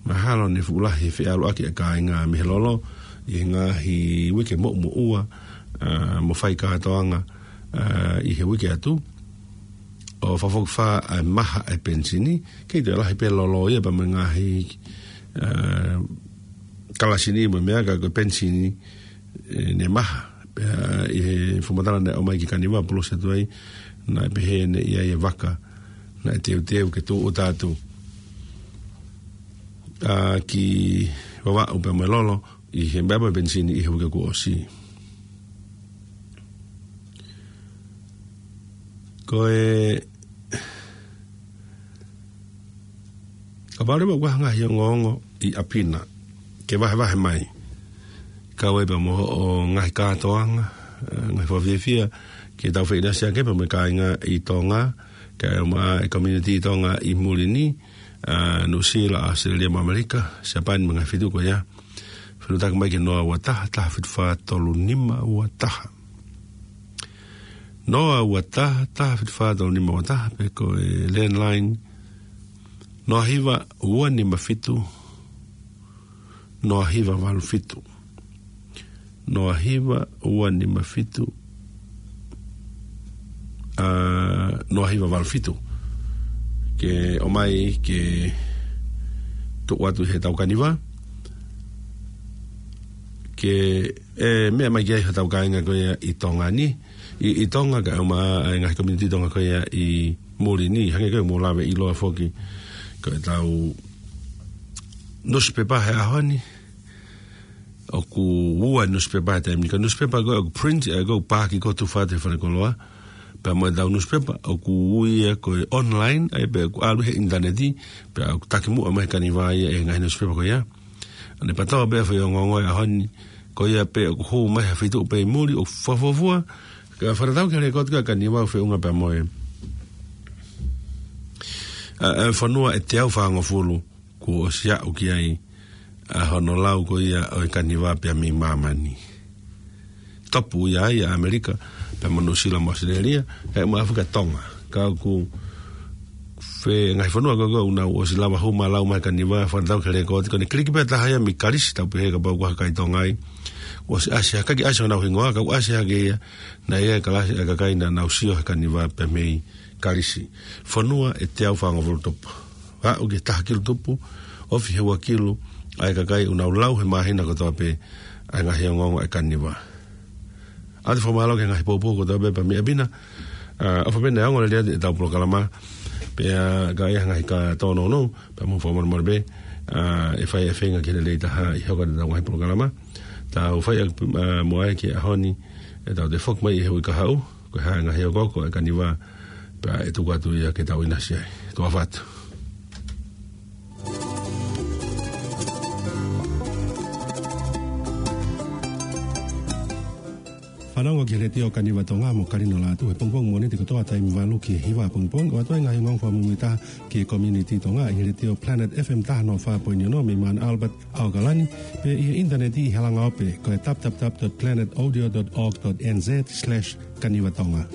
Mahalo ne fuʻu lahi e feʻaluʻaki ʻa e kāinga mei he lolo ʻi he ngaahi uike moʻumoʻua, ʻa, mo fai kātoanga, ʻa, ʻi he uike atu. ʻO fakafokifā ʻa e maha ʻa e penisini, kei toe lahi pē lolo ia pea mo e ngaahi, ʻa, kalasi ni mo e meʻa ka ko e penisini, ʻe, ne maha. Pea ʻi he fakamatala naʻe ʻomai ki Kaniva, polosi atu ai, naʻe pehē naʻe ʻi ai e vaka naʻe teuteu ke tūʻuta atu, ʻa, ki Vavaʻu pea mo e lolo, ʻi he meʻa mo e penisini ʻi he uike kuo ʻosi. Ko e, kapau leva ʻoku ʻi ai ha ngaahi ongoongo ʻi ʻapi na, ke vahevahe mai. Kau ai pea mo hoʻo ngaahi kātoanga, ʻa, ngaahi fakafiefia, ke tau feʻinasiʻaki pea mo e kāinga ʻi Tonga, kae ʻumaʻā e community ʻi Tonga ʻi muli ni, ʻa, Nuʻusila, ʻAositelēlia mo ʻAmelika, Siapani mo e ngaahi feituʻu ko ia. Fetuʻutaki mai ki he noa ua taha, taha fitu fā tolu nima ua taha. Noa ua taha, taha fitu fā tolu nima ua taha, pe ko e landline, noa hiva ua nima fitu, noa hiva valu fitu. Noa hiva ua nima fitu, ʻa, noa hiva valu fitu. Ke ʻomai ke tuku atu heʻetau Kaniva. Ke, ʻe, meʻa mai ki ai hotau kāinga ko ia ʻi Tonga ni. ʻI, ʻi Tonga kae ʻumaʻā e ngaahi community Tonga ko ia ʻi muli ni. Hangē ko e mou lave ʻiloa foki. Ko ʻetau nusipepa he ʻaho ni. ʻOku ua nusipepa he taimi ni. Ko e nusipepa ko ē ʻoku print, ʻa ia ʻoku paaki ko ē tufa atu he fale koloa. Pea mo ʻetau nusipepa, ʻoku ui ia ko e online, ʻa ia pē ʻoku ʻalu he ʻinitaneti, pea ʻoku takimuʻa mai he Kaniva ia e ngaahi nusipepa ko ia. ʻA ia ne patoa pē foʻi ongoongo he ʻaho ni, ko ia pē ʻoku hū mai ha feituʻu pē ʻi muli, ʻoku fuofua, ka fakatatau ki he lēkooti ko ē ʻa e Kaniva ʻoku feʻunga pea mo e, ʻa, ʻa e fonua ʻe teau fāngofulu kuo ʻosi aʻu ki ai ʻa hono lau ko ia ʻo e Kaniva pea mei māmani. Topu ia ai ʻa ʻAmelika, pea mo Nuʻusila mo ʻAositelēlia, kae ʻumaʻā foki ʻa Tonga. Ka ʻoku ʻi ai e ngaahi fonua ko ē ʻoku nau ʻosi lava hū mai ʻo lau mai e Kaniva, fakatatau ki he lēkooti, ko ʻene kiliki pē ha taha ia mei Kalisi, tau pehē kapau ʻoku ʻi ai ha kakai Tonga ai. ʻOsi ʻasi ha, ʻikai ke ʻasi honau hingoa, ka ʻoku ʻasi hake ia, naʻe ʻi ai e kalasi ʻa e kakai naʻa nau sio he Kaniva pea mei Kalisi. Fonua ʻe teau fāngofulu tupu. Aʻu ki he taha kilu tupu, ofi he ua kilu, ʻa e kakai ʻoku nau lau he māhina kotoa pē ʻa e ngaahi ongoongo ʻa e Kaniva. ʻOatu e fakamālō ki he ngaahi poupou kotoa pē pea mei ʻapi na, ʻa, ʻofa pē naʻe ongo lelei atu ʻetau polokalama, pea ka ʻi ai ha ngaahi kātoa nounou, pea mou fakamolemole pē, ʻa, ʻe fai e feinga ke lelei taha ʻi he hoko atu ʻetau ngaahi polokalama. Tau fai ʻaki, ʻa, mo ia ki he ʻaho ni, ʻe tau toe foki mai ʻi he uike kahaʻu, ko e hā e ngaahi okooko ʻa e Kaniva, pea ʻe tuku atu ia ke tau ʻinasi ai. Tuʻa ʻofa atu. Fanongo ki he Letiō Kaniva Tonga mo Kalino Lātū he pongipongi Mōnite kotoa taimi valu ki he hiva pongipongi, ʻoatu ai e ngaahi ongoongo fakamuimuitaha ki he community Tonga ʻi he Letiō Planet F M taha noa fā poini ono mei Mount Albert, ʻAokalani, pea ʻi he ʻinitaneti ʻi he langa ope ko e w w w dot planet audio dot org dot n z slash Kaniva Tonga.